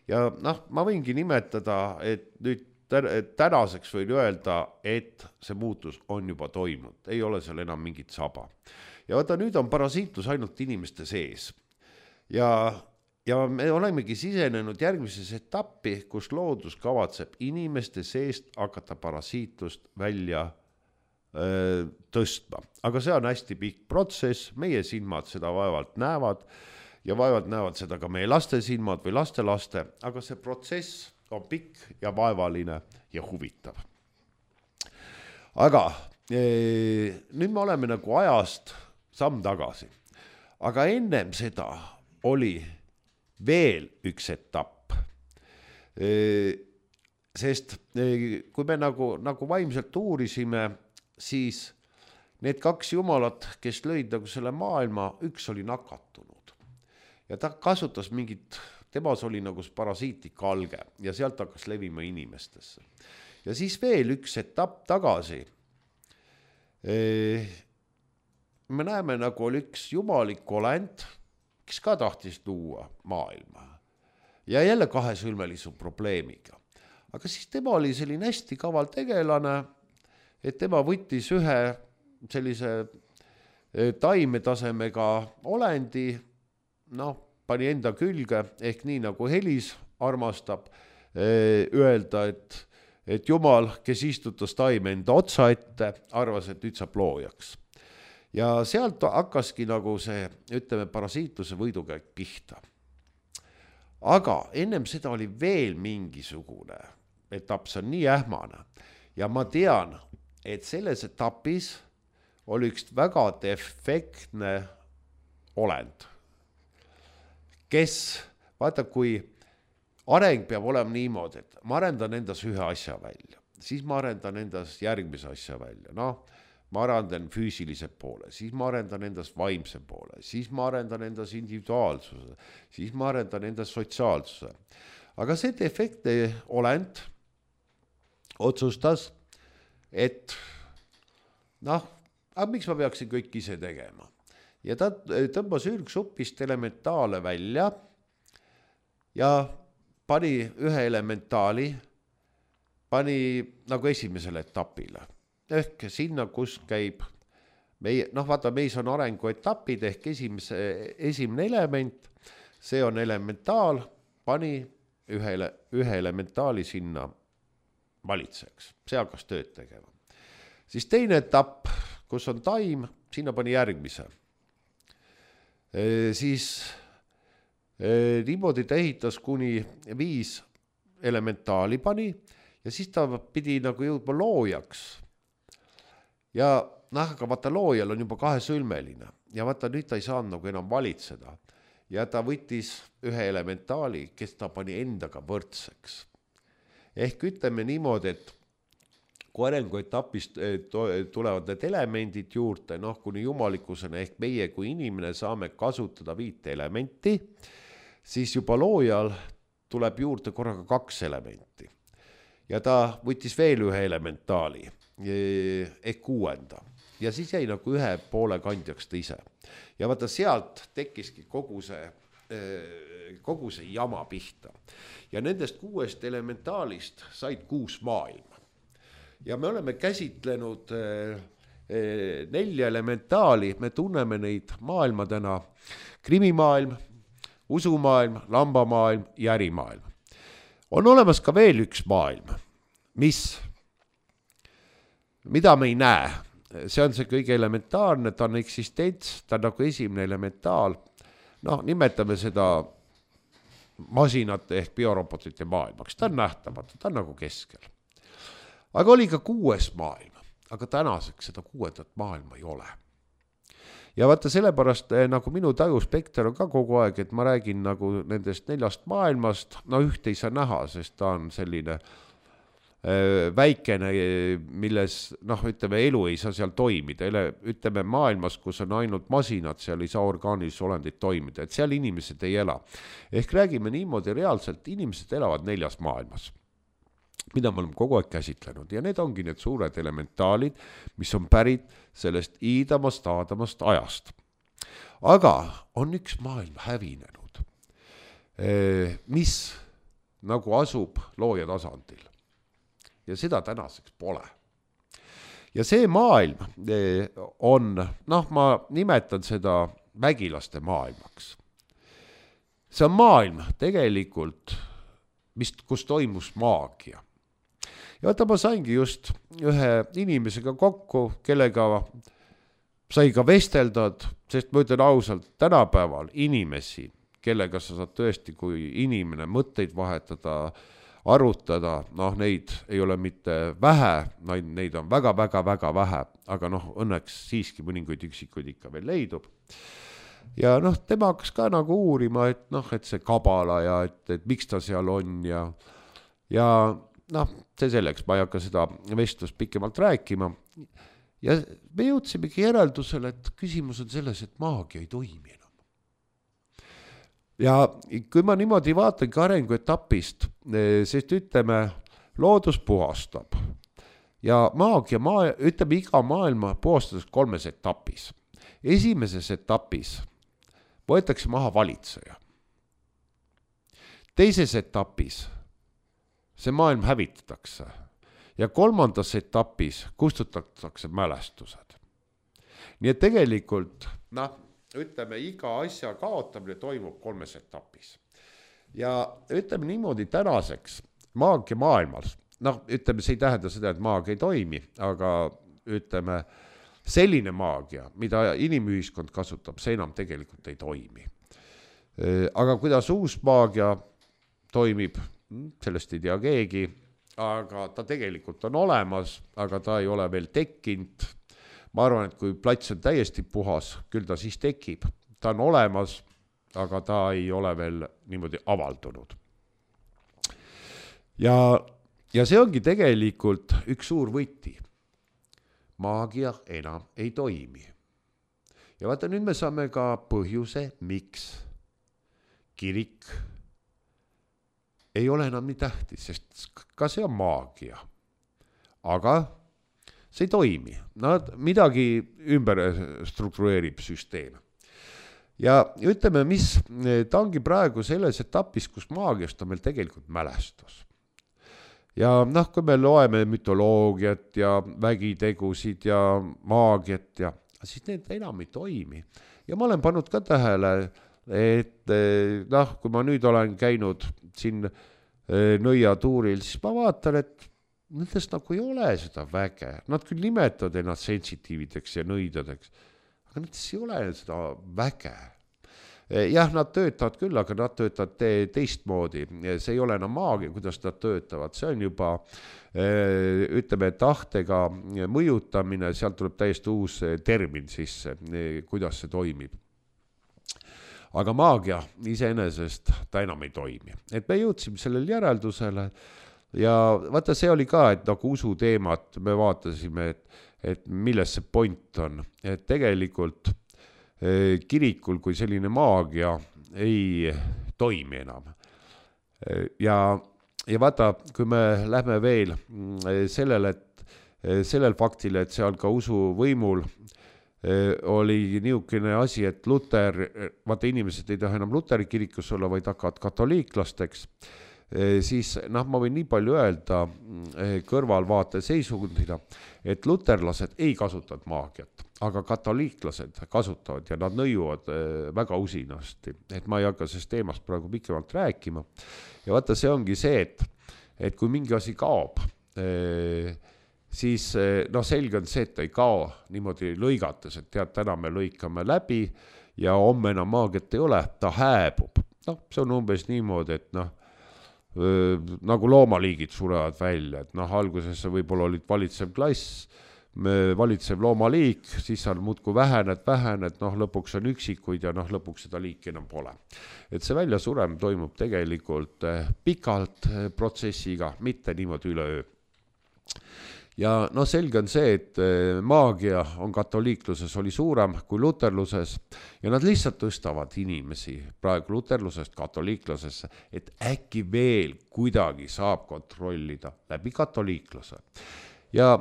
Ja noh, ma võingi nimetada, et nüüd tänaseks võin öelda, et see muutus on juba toimunud, ei ole seal enam mingit saba. Ja vaata, nüüd on parasiitlus ainult inimeste sees. Ja, ja me olemegi sisenenud järgmises etappi, kus loodus kavatseb inimeste seest hakata parasiitlust välja öö, tõstma. Aga see on hästi pikk protsess, meie silmad seda vaevalt näevad ja vaevalt näevad seda ka meie laste silmad või laste laste, aga see protsess on pikk ja vaevaline ja huvitav. Aga ee, nüüd me oleme nagu ajast samm tagasi. Aga ennem seda oli veel üks etapp. E, sest e, kui me nagu, nagu vaimselt uurisime, siis need kaks jumalat, kes lõid nagu selle maailma, üks oli nakatunud. Ja ta kasutas mingit, temas oli nagu parasiitlik alge ja sealt hakkas levima inimestesse. Ja siis veel üks etapp tagasi. E, me näeme nagu oli üks jumalik olend, kes ka tahtis luua maailma. Ja jälle kahesõlmelise probleemiga. Aga siis tema oli selline hästi kaval tegelane, et tema võttis ühe sellise taimetasemega olendi, noh, pani enda külge, ehk nii nagu Helis armastab öelda, et, et Jumal, kes istutas taime enda otsa ette, arvas, et nüüd saab loojaks. Ja sealt hakkaski nagu see, ütleme, parasiitluse võidukäik pihta. Aga ennem seda oli veel mingisugune etapp, see on nii ähmane. Ja ma tean, et selles etapis oli üks väga defektne olend, kes, vaata, kui areng peab olema niimoodi, et ma arendan endas ühe asja välja, siis ma arendan endas järgmise asja välja, noh, ma arendan füüsilise poole, siis ma arendan endas vaimse poole, siis ma arendan endas individuaalsuse, siis ma arendan endas sotsiaalsuse. Aga see defektne olend otsustas, et noh, aga miks ma peaksin kõik ise tegema? Ja ta tõmbas ürgsupist elementaale välja ja pani ühe elementaali, pani nagu esimesele etapile. Ehk sinna, kus käib meie, noh vaata, meis on arenguetapid ehk esimese, esimene element, see on elementaal, pani ühe, ühe elementaali sinna valitseks, see hakkas tööd tegema. Siis teine etapp, kus on taim, sinna pani järgmise. E, siis e, niimoodi ta ehitas kuni viis elementaali pani ja siis ta pidi nagu jõudma loojaks. Ja noh, aga vaata, loojal on juba kahesõlmeline ja vaata, nüüd ta ei saanud nagu enam valitseda ja ta võttis ühe elementaali, kes ta pani endaga võrdseks. Ehk ütleme niimoodi, et kui arenguetapist tulevad need elemendid juurde, noh, kuni jumalikkusena ehk meie kui inimene saame kasutada viite elementi, siis juba loojal tuleb juurde korraga kaks elementi. Ja ta võttis veel ühe elementaali ehk kuuenda ja siis jäi nagu ühe poole kandjaks ta ise. Ja vaata, sealt tekkiski kogu see, kogu see jama pihta. Ja nendest kuuest elementaalist said kuus maailma. Ja me oleme käsitlenud nelja elementaali, me tunneme neid maailmadena, krimimaailm, usumaailm, lambamaailm ja ärimaailm. On olemas ka veel üks maailm, mis, mida me ei näe. See on see kõige elementaarne, ta on eksistents, ta on nagu esimene elementaal. Noh, nimetame seda masinate ehk biorobotite maailmaks, ta on nähtamatu, ta on nagu keskel. Aga oli ka kuues maailm, aga tänaseks seda kuuendat maailma ei ole. Ja vaata sellepärast nagu minu tajuspekter on ka kogu aeg, et ma räägin nagu nendest neljast maailmast, no ühte ei saa näha, sest ta on selline äh, väikene, milles, noh, ütleme, elu ei saa seal toimida. Ütleme maailmas, kus on ainult masinad, seal ei saa orgaanilisi olendid toimida, et seal inimesed ei ela. Ehk räägime niimoodi reaalselt, inimesed elavad neljas maailmas, mida me oleme kogu aeg käsitlenud ja need ongi need suured elementaalid, mis on pärit sellest iidamast, aadamast ajast. Aga on üks maailm hävinenud, mis nagu asub looja tasandil. ja seda tänaseks pole. Ja see maailm on, noh, ma nimetan seda vägilaste maailmaks. See on maailm tegelikult, mis, kus toimus maagia. Ja vaata, ma saingi just ühe inimesega kokku, kellega sai ka vesteldad, sest ma ütlen ausalt, tänapäeval inimesi, kellega sa saad tõesti, kui inimene mõtteid vahetada, arutada, noh, neid ei ole mitte vähe, neid on väga-väga-väga vähe, aga noh, õnneks siiski mõninguid üksikuid ikka veel leidub. Ja noh, tema hakkas ka nagu uurima, et noh, et see kabala ja et, et miks ta seal on ja, ja noh, see selleks, ma ei hakka seda vestlust pikemalt rääkima. Ja me jõudsimegi järeldusele, et küsimus on selles, et maagia ei toimi enam. Ja kui ma niimoodi vaatangi arenguetapist, sest ütleme, loodus puhastab ja maagia, maa, ütleme iga maailma puhastades kolmes etapis. Esimeses etapis võetakse maha valitseja. Teises etapis see maailm hävitatakse ja kolmandas etapis kustutatakse mälestused. Nii et tegelikult, noh, ütleme, iga asja kaotamine toimub kolmes etapis. Ja ütleme niimoodi tänaseks maagia maailmas, noh, ütleme, see ei tähenda seda, et maagia ei toimi, aga ütleme, selline maagia, mida inimühiskond kasutab, see enam tegelikult ei toimi. Aga kuidas uus maagia toimib, sellest ei tea keegi, aga ta tegelikult on olemas, aga ta ei ole veel tekkinud. Ma arvan, et kui plats on täiesti puhas, küll ta siis tekib. Ta on olemas, aga ta ei ole veel niimoodi avaldunud. Ja, ja see ongi tegelikult üks suur võti. Maagia enam ei toimi. Ja vaata, nüüd me saame ka põhjuse, miks kirik ei ole enam nii tähtis, sest ka see on maagia. Aga see ei toimi. Nad midagi ümber struktureerib süsteem. Ja ütleme, mis ta ongi praegu selles etapis, kus maagiast on meil tegelikult mälestus. Ja noh, kui me loeme mütoloogiat ja vägitegusid ja maagiat, ja, siis need enam ei toimi. Ja ma olen pannud ka tähele, et noh, kui ma nüüd olen käinud siin Nõia tuuril, siis ma vaatan, et nendest nagu ei ole seda väge. Nad küll nimetavad ennast sensitiivideks ja nõidadeks, aga nendest ei ole seda väge. Jah, nad töötavad küll, aga nad töötavad te- teistmoodi. See ei ole enam maagia, kuidas nad töötavad. See on juba, ütleme, tahtega mõjutamine, sealt tuleb täiesti uus termin sisse, kuidas see toimib. Aga maagia iseenesest ta enam ei toimi. Et me jõudsime sellel järeldusele ja vaata, see oli ka, et nagu usu teemat me vaatasime, et, et milles see point on. Et tegelikult eh, kirikul kui selline maagia ei toimi enam. Ja, ja vaata, kui me lähme veel sellele, et sellel faktile, et seal ka usu võimul oli niisugune asi, et Luter, vaata inimesed ei taha enam Luteri kirikus olla, vaid hakkavad katoliiklasteks, siis noh, ma võin nii palju öelda kõrvalvaate seisundina, et luterlased ei kasutanud maagiat, aga katoliiklased kasutavad ja nad nõiuvad väga usinasti, et ma ei hakka sellest teemast praegu pikemalt rääkima. Ja vaata, see ongi see, et, et kui mingi asi kaob, siis noh, selge on see, et ta ei kao niimoodi lõigates, et tead, täna me lõikame läbi ja homme enam maagiat ei ole, ta hääbub. Noh, see on umbes niimoodi, et noh, nagu loomaliigid surevad välja, et noh, alguses võib-olla olid valitsev klass, valitsev loomaliik, siis on muudku vähened, vähened, noh, lõpuks on üksikuid ja noh, lõpuks seda liiki enam pole. Et see välja surem toimub tegelikult pikalt protsessiga, mitte niimoodi üleöö. Ja no selge on see, et maagia on katoliikluses oli suurem kui luterluses ja nad lihtsalt tõstavad inimesi praegu luterlusest katoliiklusesse, et äkki veel kuidagi saab kontrollida läbi katoliikluse. Ja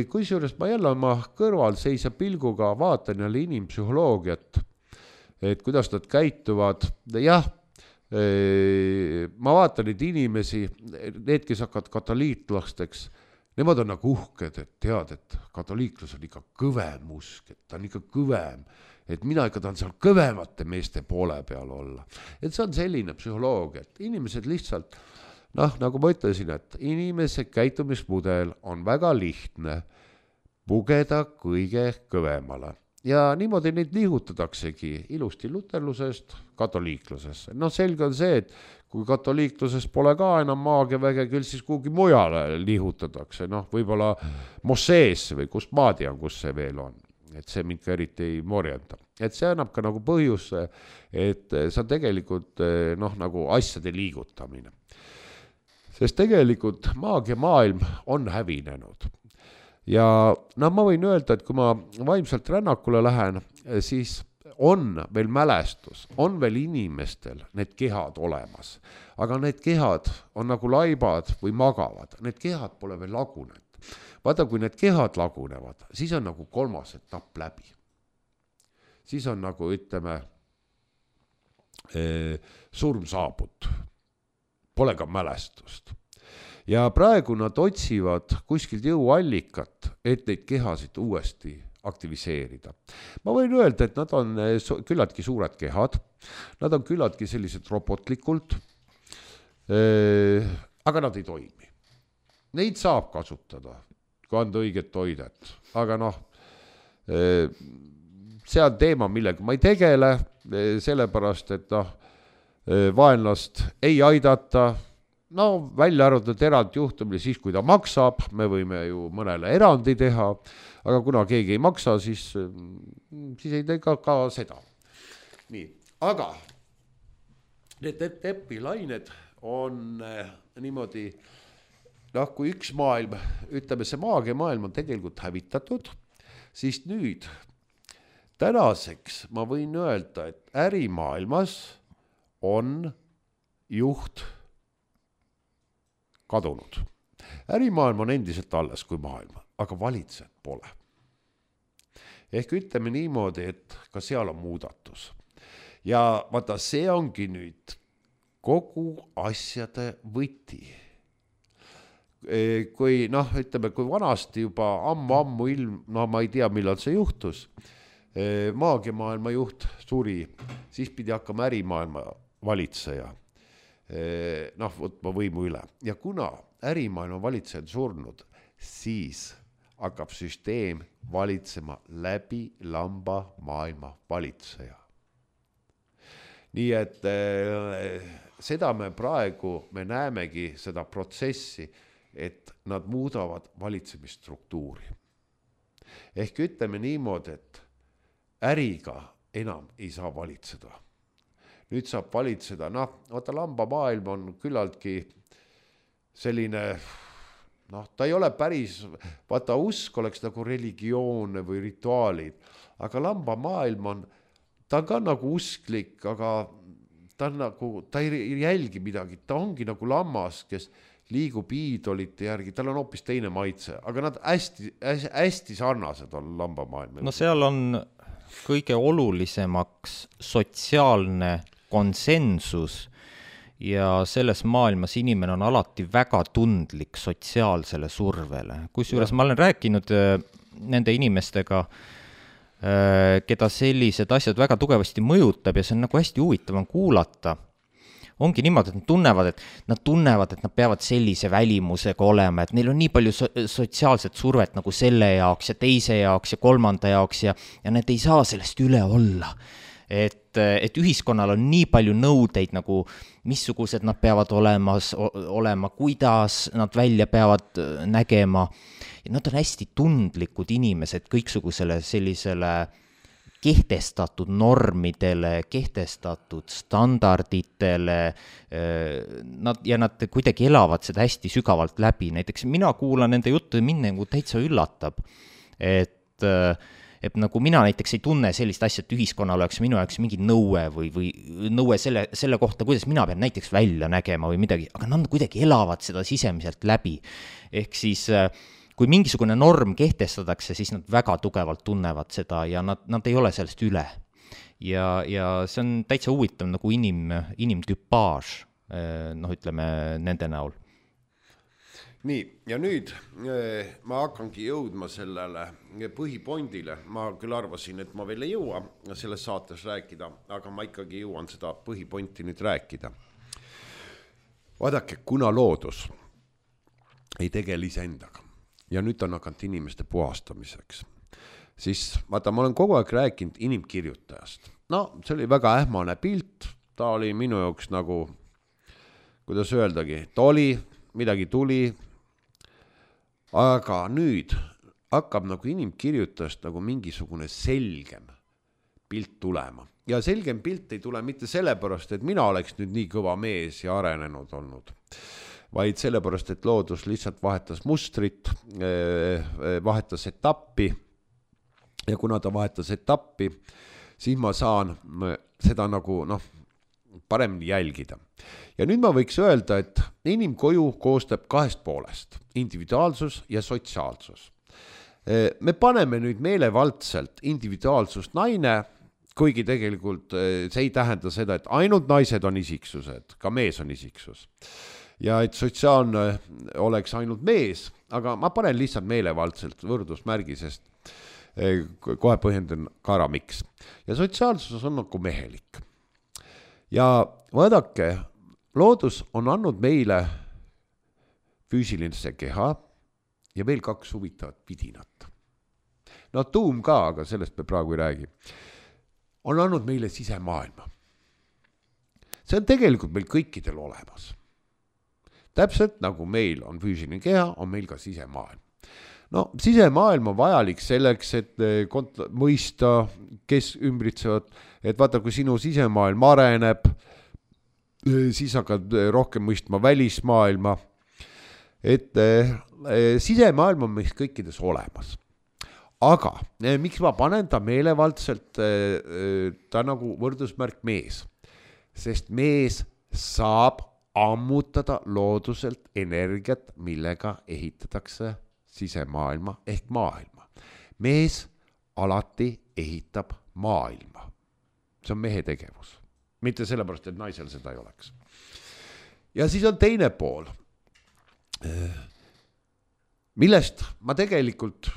kui seures ma jälle oma kõrval seisa pilguga vaatan jälle inimpsühholoogiat, et kuidas nad käituvad, jah, ma vaatan neid inimesi, need, kes hakkavad katoliiklasteks, nemad on nagu uhked, et tead, et katoliiklus on ikka kõvem usk, et ta on ikka kõvem, et mina ikka tahan seal kõvemate meeste poole peal olla. Et see on selline psühholoogia, et inimesed lihtsalt, noh, nagu ma ütlesin, et inimese käitumismudel on väga lihtne pugeda kõige kõvemale. Ja niimoodi neid liigutataksegi ilusti luterlusest katoliiklusesse. Noh, selge on see, et kui katoliikluses pole ka enam maagiaväge, küll siis kuhugi mujale liigutatakse. Noh, võib-olla Mosseesse või kust ma tean, kus see veel on. Et see mind ka eriti ei morjenda. Et see annab ka nagu põhjus, et see on tegelikult noh, nagu asjade liigutamine. Sest tegelikult maagia maailm on hävinenud. Ja no ma võin öelda, et kui ma vaimselt rännakule lähen, siis on veel mälestus, on veel inimestel need kehad olemas. Aga need kehad on nagu laibad või magavad, need kehad pole veel lagunenud. Vaata, kui need kehad lagunevad, siis on nagu kolmas etapp läbi. Siis on nagu, ütleme, surm saabut, pole ka mälestust. Ja praegu nad otsivad kuskilt jõuallikat, et neid kehasid uuesti aktiviseerida. Ma võin öelda, et nad on küllaltki suured kehad, nad on küllaltki sellised robotlikult, aga nad ei toimi. Neid saab kasutada, kui anda õiget toidet, aga noh, see on teema, millega ma ei tegele, sellepärast, et noh, vaenlast ei aidata. No välja arvatud erand juhtumil, siis kui ta maksab, me võime ju mõnele erandi teha, aga kuna keegi ei maksa, siis, siis ei tee ka, ka seda. Nii, aga need epilained on niimoodi, noh, kui üks maailm, ütleme see maagia maailm on tegelikult hävitatud, siis nüüd tänaseks ma võin öelda, et ärimaailmas on juht kadunud. Ärimaailm on endiselt alles kui maailm, aga valitsejad pole. Ehk ütleme niimoodi, et ka seal on muudatus. Ja vaata, see ongi nüüd kogu asjade võti. Kui, noh, ütleme, kui vanasti juba ammu-ammu ilm, no ma ei tea, millal see juhtus, maagiamaailma juht suri, siis pidi hakkama ärimaailma valitseja. Noh, võtma võimu üle. Ja kuna ärimaailma valitsejad surnud, siis hakkab süsteem valitsema läbi lamba maailma valitseja. Nii et äh, seda me praegu, me näemegi seda protsessi, et nad muudavad valitsemisstruktuuri. Ehk ütleme niimoodi, et äriga enam ei saa valitseda. Nüüd saab valitseda, noh, vaata lamba maailm on küllaltki selline, noh, ta ei ole päris, vaata usk oleks nagu religioon või rituaalid, aga lamba maailm on, ta on ka nagu usklik, aga ta on nagu, ta ei jälgi midagi, ta ongi nagu lammas, kes liigub iidolite järgi, tal on hoopis teine maitse, aga nad hästi, hästi sarnased on lamba maailm. No seal on kõige olulisemaks sotsiaalne konsensus ja selles maailmas inimene on alati väga tundlik sotsiaalsele survele. Kusjuures ma olen rääkinud nende inimestega, keda sellised asjad väga tugevasti mõjutab ja see on nagu hästi huvitav kuulata. Ongi niimoodi, et nad tunnevad, et nad tunnevad, et nad peavad sellise välimusega olema, et neil on nii palju so- sotsiaalset survet nagu selle jaoks ja teise jaoks ja kolmanda jaoks ja, ja need ei saa sellest üle olla. Et, et ühiskonnal on nii palju nõudeid, nagu missugused nad peavad olemas, olema, kuidas nad välja peavad nägema. Ja nad on hästi tundlikud inimesed kõiksugusele sellisele kehtestatud normidele, kehtestatud standarditele nad, ja nad kuidagi elavad seda hästi sügavalt läbi. Näiteks mina kuulan nende juttu ja mind nagu täitsa üllatab, et et nagu mina näiteks ei tunne sellist asja, et ühiskonnal oleks minu jaoks mingi nõue või, või nõue selle, selle kohta, kuidas mina pean näiteks välja nägema või midagi, aga nad kuidagi elavad seda sisemiselt läbi. Ehk siis kui mingisugune norm kehtestatakse, siis nad väga tugevalt tunnevad seda ja nad, nad ei ole sellest üle. ja, ja see on täitsa huvitav nagu inim, inimküpaaž, noh ütleme nende näol. Nii, ja nüüd ma hakkangi jõudma sellele põhipondile. Ma küll arvasin, et ma veel ei jõua selles saates rääkida, aga ma ikkagi jõuan seda põhiponti nüüd rääkida. Vaadake, kuna loodus ei tegele iseendaga ja nüüd on hakanud inimeste puhastamiseks, siis vaata, ma olen kogu aeg rääkinud inimkirjutajast. No, see oli väga ähmane pilt, ta oli minu jaoks nagu, kuidas öeldagi, ta oli, midagi tuli, aga nüüd hakkab nagu inimkirjutajast nagu mingisugune selgem pilt tulema. Ja selgem pilt ei tule mitte sellepärast, et mina oleks nüüd nii kõva mees ja arenenud olnud, vaid sellepärast, et loodus lihtsalt vahetas mustrit, vahetas etappi ja kuna ta vahetas etappi, siis ma saan seda nagu noh, paremini jälgida. Ja nüüd ma võiks öelda, et inimkoju koostab kahest poolest, individuaalsus ja sotsiaalsus. Me paneme nüüd meelevaldselt individuaalsust naine, kuigi tegelikult see ei tähenda seda, et ainult naised on isiksused, ka mees on isiksus. Ja et sotsiaalne oleks ainult mees, aga ma panen lihtsalt meelevaldselt võrdusmärgi, sest kohe põhjendan ka ära miks. Ja sotsiaalsus on nagu mehelik. Ja vaadake, loodus on andnud meile füüsilise keha ja veel kaks huvitavat vidinat. No tuum ka, aga sellest me praegu ei räägi. On andnud meile sisemaailma. See on tegelikult meil kõikidel olemas. Täpselt nagu meil on füüsiline keha, on meil ka sisemaailm. No, sisemaailm on vajalik selleks, et kont- mõista, kes ümbritsevad, et vaata, kui sinu sisemaailm areneb, siis hakkad rohkem mõistma välismaailma, et sisemaailm on meist kõikides olemas. Aga miks ma panen ta meelevaldselt, ta nagu võrdusmärk mees, sest mees saab ammutada looduselt energiat, millega ehitatakse sisemaailma ehk maailma. Mees alati ehitab maailma. See on mehe tegevus. Mitte sellepärast, et naisel seda ei oleks. Ja siis on teine pool, millest ma tegelikult,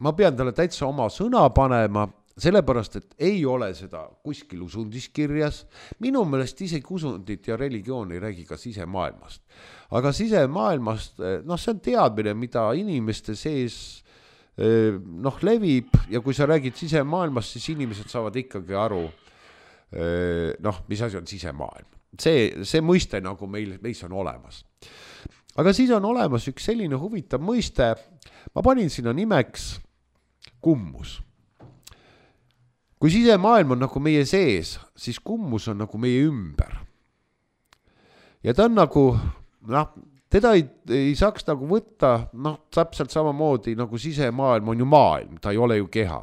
ma pean talle täitsa oma sõna panema, sellepärast, et ei ole seda kuskil usundiskirjas. Minu meelest isegi usundit ja religioon ei räägi ka sisemaailmast. Aga sisemaailmast, noh, see on teadmine, mida inimeste sees noh, levib ja kui sa räägid sisemaailmast, siis inimesed saavad ikkagi aru, noh, mis asi on sisemaailm. See, see mõiste nagu meil, meis on olemas. Aga siis on olemas üks selline huvitav mõiste, ma panin sinna nimeks kummus. Kui sisemaailm on nagu meie sees, siis kummus on nagu meie ümber. Ja ta on nagu, noh, teda ei, ei saaks nagu võtta, noh, täpselt samamoodi nagu sisemaailm on ju maailm, ta ei ole ju keha.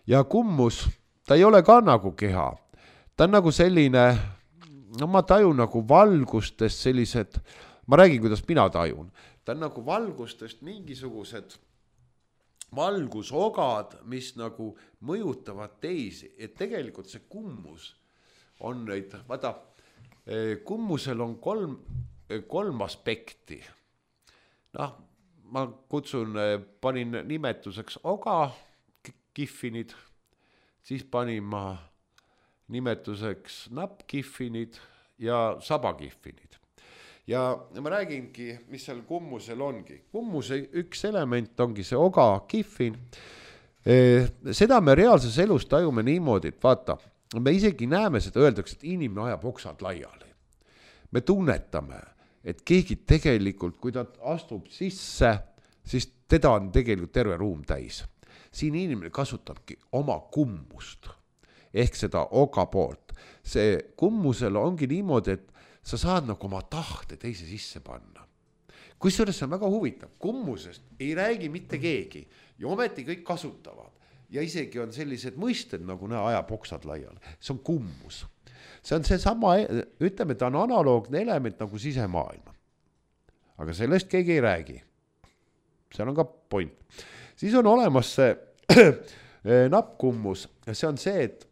Ja kummus, ta ei ole ka nagu keha. Ta on nagu selline, no ma tajun nagu valgustest sellised, ma räägin, kuidas mina tajun. Ta on nagu valgustest mingisugused valgusogad, mis nagu mõjutavad teisi, et tegelikult see kummus on neid, vaata, kummusel on kolm, kolm aspekti. Noh, ma kutsun, panin nimetuseks oga kihvinid, siis panin ma nimetuseks nappkihvinid ja sabakihvinid. Ja ma räägingi, mis seal kummusel ongi. Kummuse üks element ongi see oga kihvin. Seda me reaalses elus tajume niimoodi, et vaata, me isegi näeme seda, öeldakse, et inimene ajab oksad laiali. Me tunnetame, et keegi tegelikult, kui ta astub sisse, siis teda on tegelikult terve ruum täis. Siin inimene kasutabki oma kummust, ehk seda oga poolt. See kummusel ongi niimoodi, et sa saad nagu oma tahte teise sisse panna. Kusjuures see on väga huvitav. Kummusest ei räägi mitte keegi ja ometi kõik kasutavad. Ja isegi on sellised mõisted nagu näe ajab oksad laiali. See on kummus. See on see sama, ütleme, ta on analoogne element nagu sisemaailma. Aga sellest keegi ei räägi. Seal on ka point. Siis on olemas see nappkummus ja see on see, et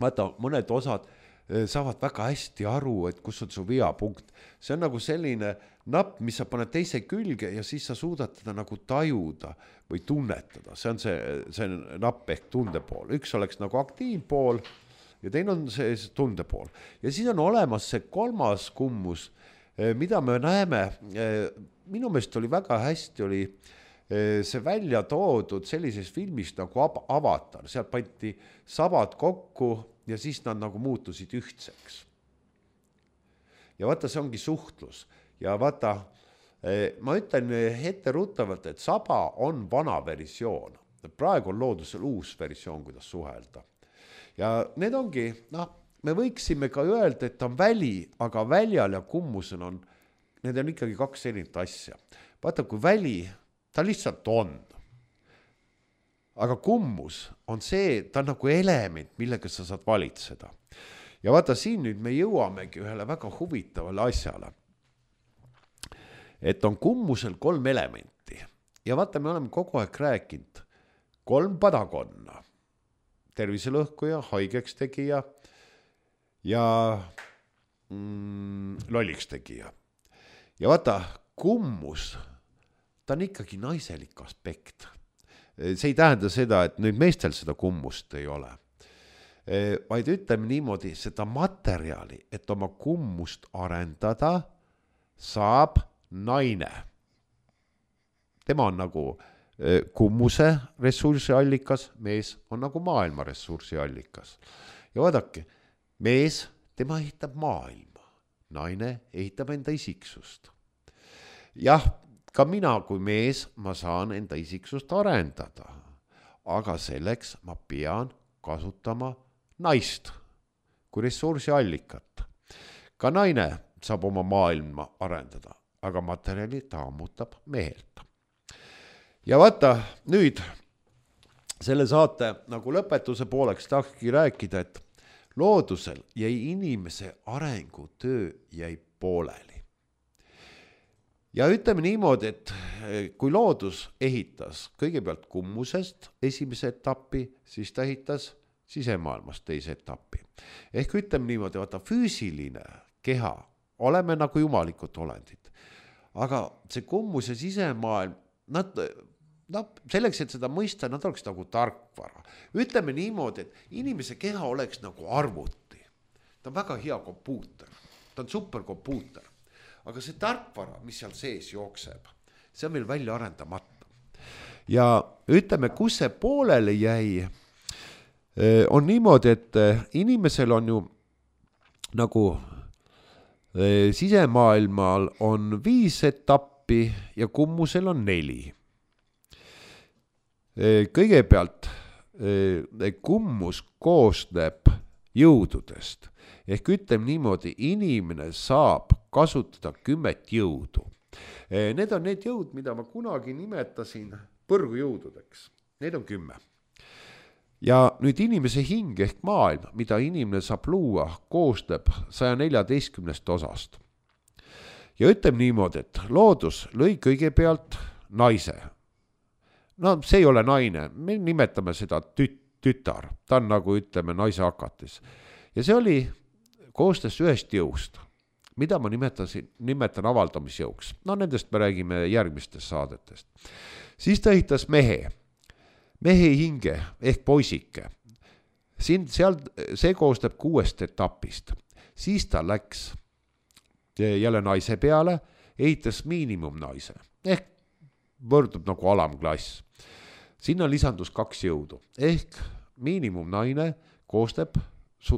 vaata, mõned osad saavad väga hästi aru, et kus on su veapunkt. See on nagu selline napp, mis sa paned teise külge ja siis sa suudad teda nagu tajuda või tunnetada. See on see, see napp ehk tundepool. Üks oleks nagu aktiivpool ja teine on see tundepool. Ja siis on olemas see kolmas kummus, mida me näeme. Minu meelest oli väga hästi, oli see välja toodud sellises filmis nagu Avatar. Sealt pandi sabad kokku ja siis nad nagu muutusid ühtseks. Ja vaata, see ongi suhtlus. Ja vaata, ma ütlen ette ruttavalt, et saba on vana versioon. Praegu on loodusel uus versioon, kuidas suhelda. Ja need ongi, noh, me võiksime ka öelda, et on väli, aga väljal ja kummusel on, need on ikkagi kaks erinevat asja. Vaata, kui väli, ta lihtsalt on. Aga kummus on see, ta on nagu element, millega sa saad valitseda. Ja vaata, siin nüüd me jõuamegi ühele väga huvitavale asjale. Et on kummusel kolm elementi. Ja vaata, me oleme kogu aeg rääkinud kolm padakonna. Terviselõhkuja, haigeks tegija ja mm, lolliks tegija. Ja vaata, kummus, ta on ikkagi naiselik aspekt. See ei tähenda seda, et nüüd meestel seda kummust ei ole. Vaid ütleme niimoodi, seda materjali, et oma kummust arendada, saab naine. Tema on nagu kummuse ressursiallikas, mees on nagu maailma ressursiallikas. Ja vaadake, mees, tema ehitab maailma, naine ehitab enda isiksust. Jah, ka mina kui mees, ma saan enda isiksust arendada, aga selleks ma pean kasutama naist kui ressursiallikat. Ka naine saab oma maailma arendada, aga materjali ta ammutab mehelt. Ja vaata, nüüd selle saate nagu lõpetuse pooleks tahakski rääkida, et loodusel jäi inimese arengutöö jäi pooleli. Ja ütleme niimoodi, et kui loodus ehitas kõigepealt kummusest esimese etappi, siis ta ehitas sisemaailmast teise etappi. Ehk ütleme niimoodi, vaata füüsiline keha, oleme nagu jumalikud olendid. Aga see kummus ja sisemaailm, nad, nad, selleks, et seda mõista, nad oleks nagu tarkvara. Ütleme niimoodi, et inimese keha oleks nagu arvuti. Ta on väga hea kompuuter, ta on superkompuuter. Aga see tarkvara, mis seal sees jookseb, see on meil välja arendamata. Ja ütleme, kus see poolele jäi, on niimoodi, et inimesel on ju nagu sisemaailmal on viis etappi ja kummusel on neli. Kõigepealt kummus koosneb jõududest. Ehk ütleme niimoodi, inimene saab kasutada kümmet jõudu. Need on need jõud, mida ma kunagi nimetasin põrgujõududeks. Need on kümme. Ja nüüd inimese hing ehk maailm, mida inimene saab luua, koosneb saja neljateistkümnest osast. Ja ütleme niimoodi, et loodus lõi kõigepealt naise. No see ei ole naine, me nimetame seda tüt, tütar. Ta on nagu ütleme naise hakatis. Ja see oli koostes ühest jõust, mida ma nimetasin, nimetan avaldamisjõuks. No nendest me räägime järgmistest saadetest. Siis ta ehitas mehe, mehe hinge ehk poisike. Siin, seal, see koostab kuuest etapist. Siis ta läks jälle naise peale, ehitas miinimumnaise ehk võrdub nagu alamklass. Sinna lisandus kaks jõudu ehk miinimumnaine koostab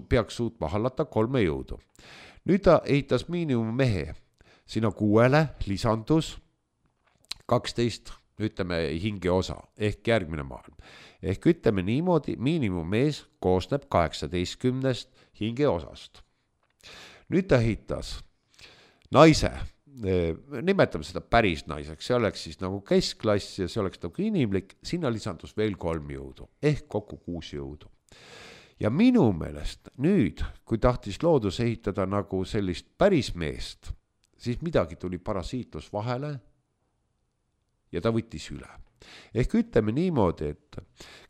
peaks suutma hallata kolme jõudu. Nüüd ta ehitas miinimum mehe. Sinna kuuele lisandus kaksteist, ütleme, hinge osa, ehk järgmine maailm. Ehk ütleme niimoodi, miinimum mees koosneb kaheksateistkümnest hinge osast. Nüüd ta ehitas naise, nimetame seda päris naiseks, see oleks siis nagu keskklass ja see oleks nagu inimlik, sinna lisandus veel kolm jõudu, ehk kokku kuus jõudu. Ja minu meelest nüüd, kui tahtis loodus ehitada nagu sellist päris meest, siis midagi tuli parasiitlus vahele ja ta võttis üle. Ehk ütleme niimoodi, et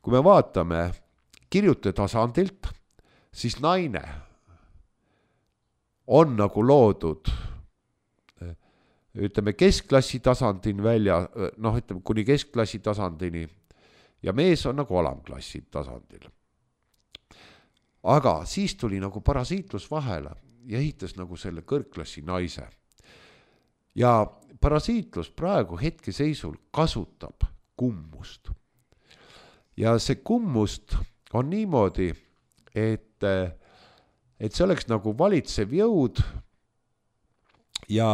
kui me vaatame kirjute tasandilt, siis naine on nagu loodud ütleme keskklassi tasandini välja, noh ütleme kuni keskklassi tasandini ja mees on nagu alamklassi tasandil. Aga siis tuli nagu parasiitlus vahele ja ehitas nagu selle kõrgklassi naise. Ja parasiitlus praegu hetkeseisul kasutab kummust. Ja see kummust on niimoodi, et, et see oleks nagu valitsev jõud ja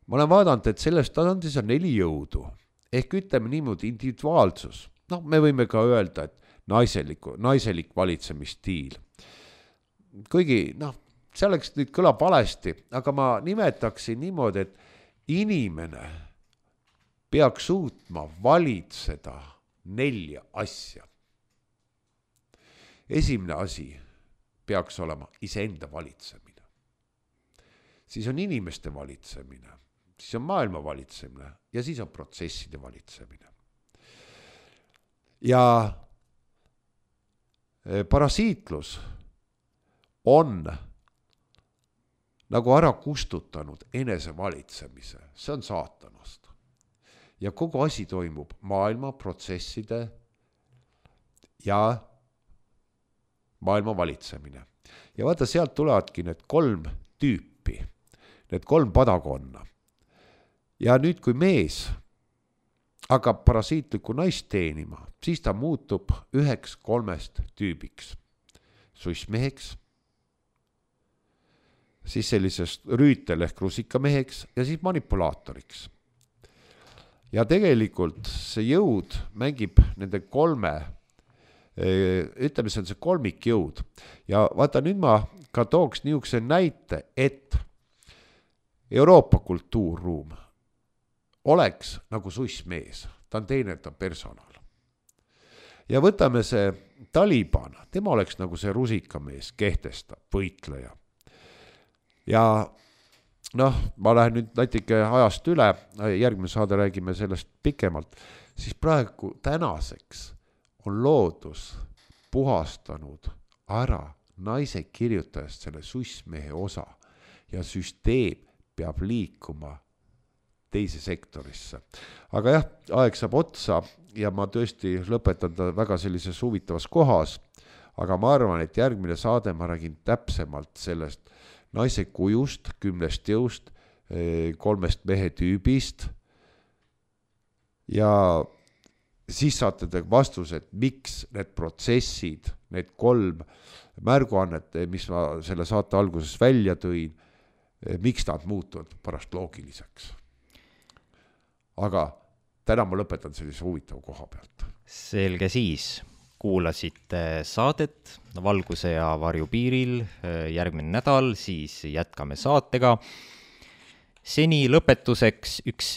ma olen vaadanud, et selles tasandis on neli jõudu. Ehk ütleme niimoodi individuaalsus. No me võime ka öelda, et naiseliku, naiselik valitsemisstiil. Kuigi, noh, see oleks nüüd kõlab valesti, aga ma nimetaksin niimoodi, et inimene peaks suutma valitseda nelja asja. Esimene asi peaks olema iseenda valitsemine. Siis on inimeste valitsemine, siis on maailma valitsemine ja siis on protsesside valitsemine. Ja parasiitlus on nagu ära kustutanud enesevalitsemise, see on saatanast. Ja kogu asi toimub maailma protsesside ja maailma valitsemine. Ja vaata, sealt tulevadki need kolm tüüpi, need kolm padakonna. Ja nüüd, kui mees hakkab parasiitlikku naist teenima, siis ta muutub üheks kolmest tüübiks. Sussmeheks, siis sellisest rüütel ehk rusikameheks ja siis manipulaatoriks. Ja tegelikult see jõud mängib nende kolme, ütleme, see on see kolmik jõud. Ja vaata, nüüd ma ka tooks niisuguse näite, et Euroopa kultuurruum oleks nagu sussmees, ta on teenerdav personal. Ja võtame see Taliban, tema oleks nagu see rusikamees, kehtestab, võitleja. Ja noh, ma lähen nüüd natuke ajast üle, järgmine saade räägime sellest pikemalt, siis praegu tänaseks on loodus puhastanud ära naise kirjutajast selle sussmehe osa ja süsteem peab liikuma teise sektorisse. Aga jah, aeg saab otsa ja ma tõesti lõpetan ta väga sellises huvitavas kohas, aga ma arvan, et järgmine saade ma räägin täpsemalt sellest naise kujust, kümnest jõust, kolmest mehe tüübist ja siis saate te vastused, miks need protsessid, need kolm märguannet, mis ma selle saate alguses välja tõin, miks nad muutuvad pärast loogiliseks. Aga täna ma lõpetan sellise huvitava koha pealt. Selge siis. Kuulasite saadet Valguse ja varju piiril. Järgmine nädal siis jätkame saatega. Seni lõpetuseks üks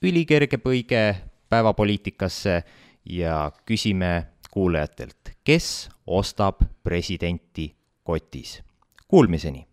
ülikerge põige päevapoliitikasse ja küsime kuulajatelt, kes ostab presidenti kotis. Kuulmiseni!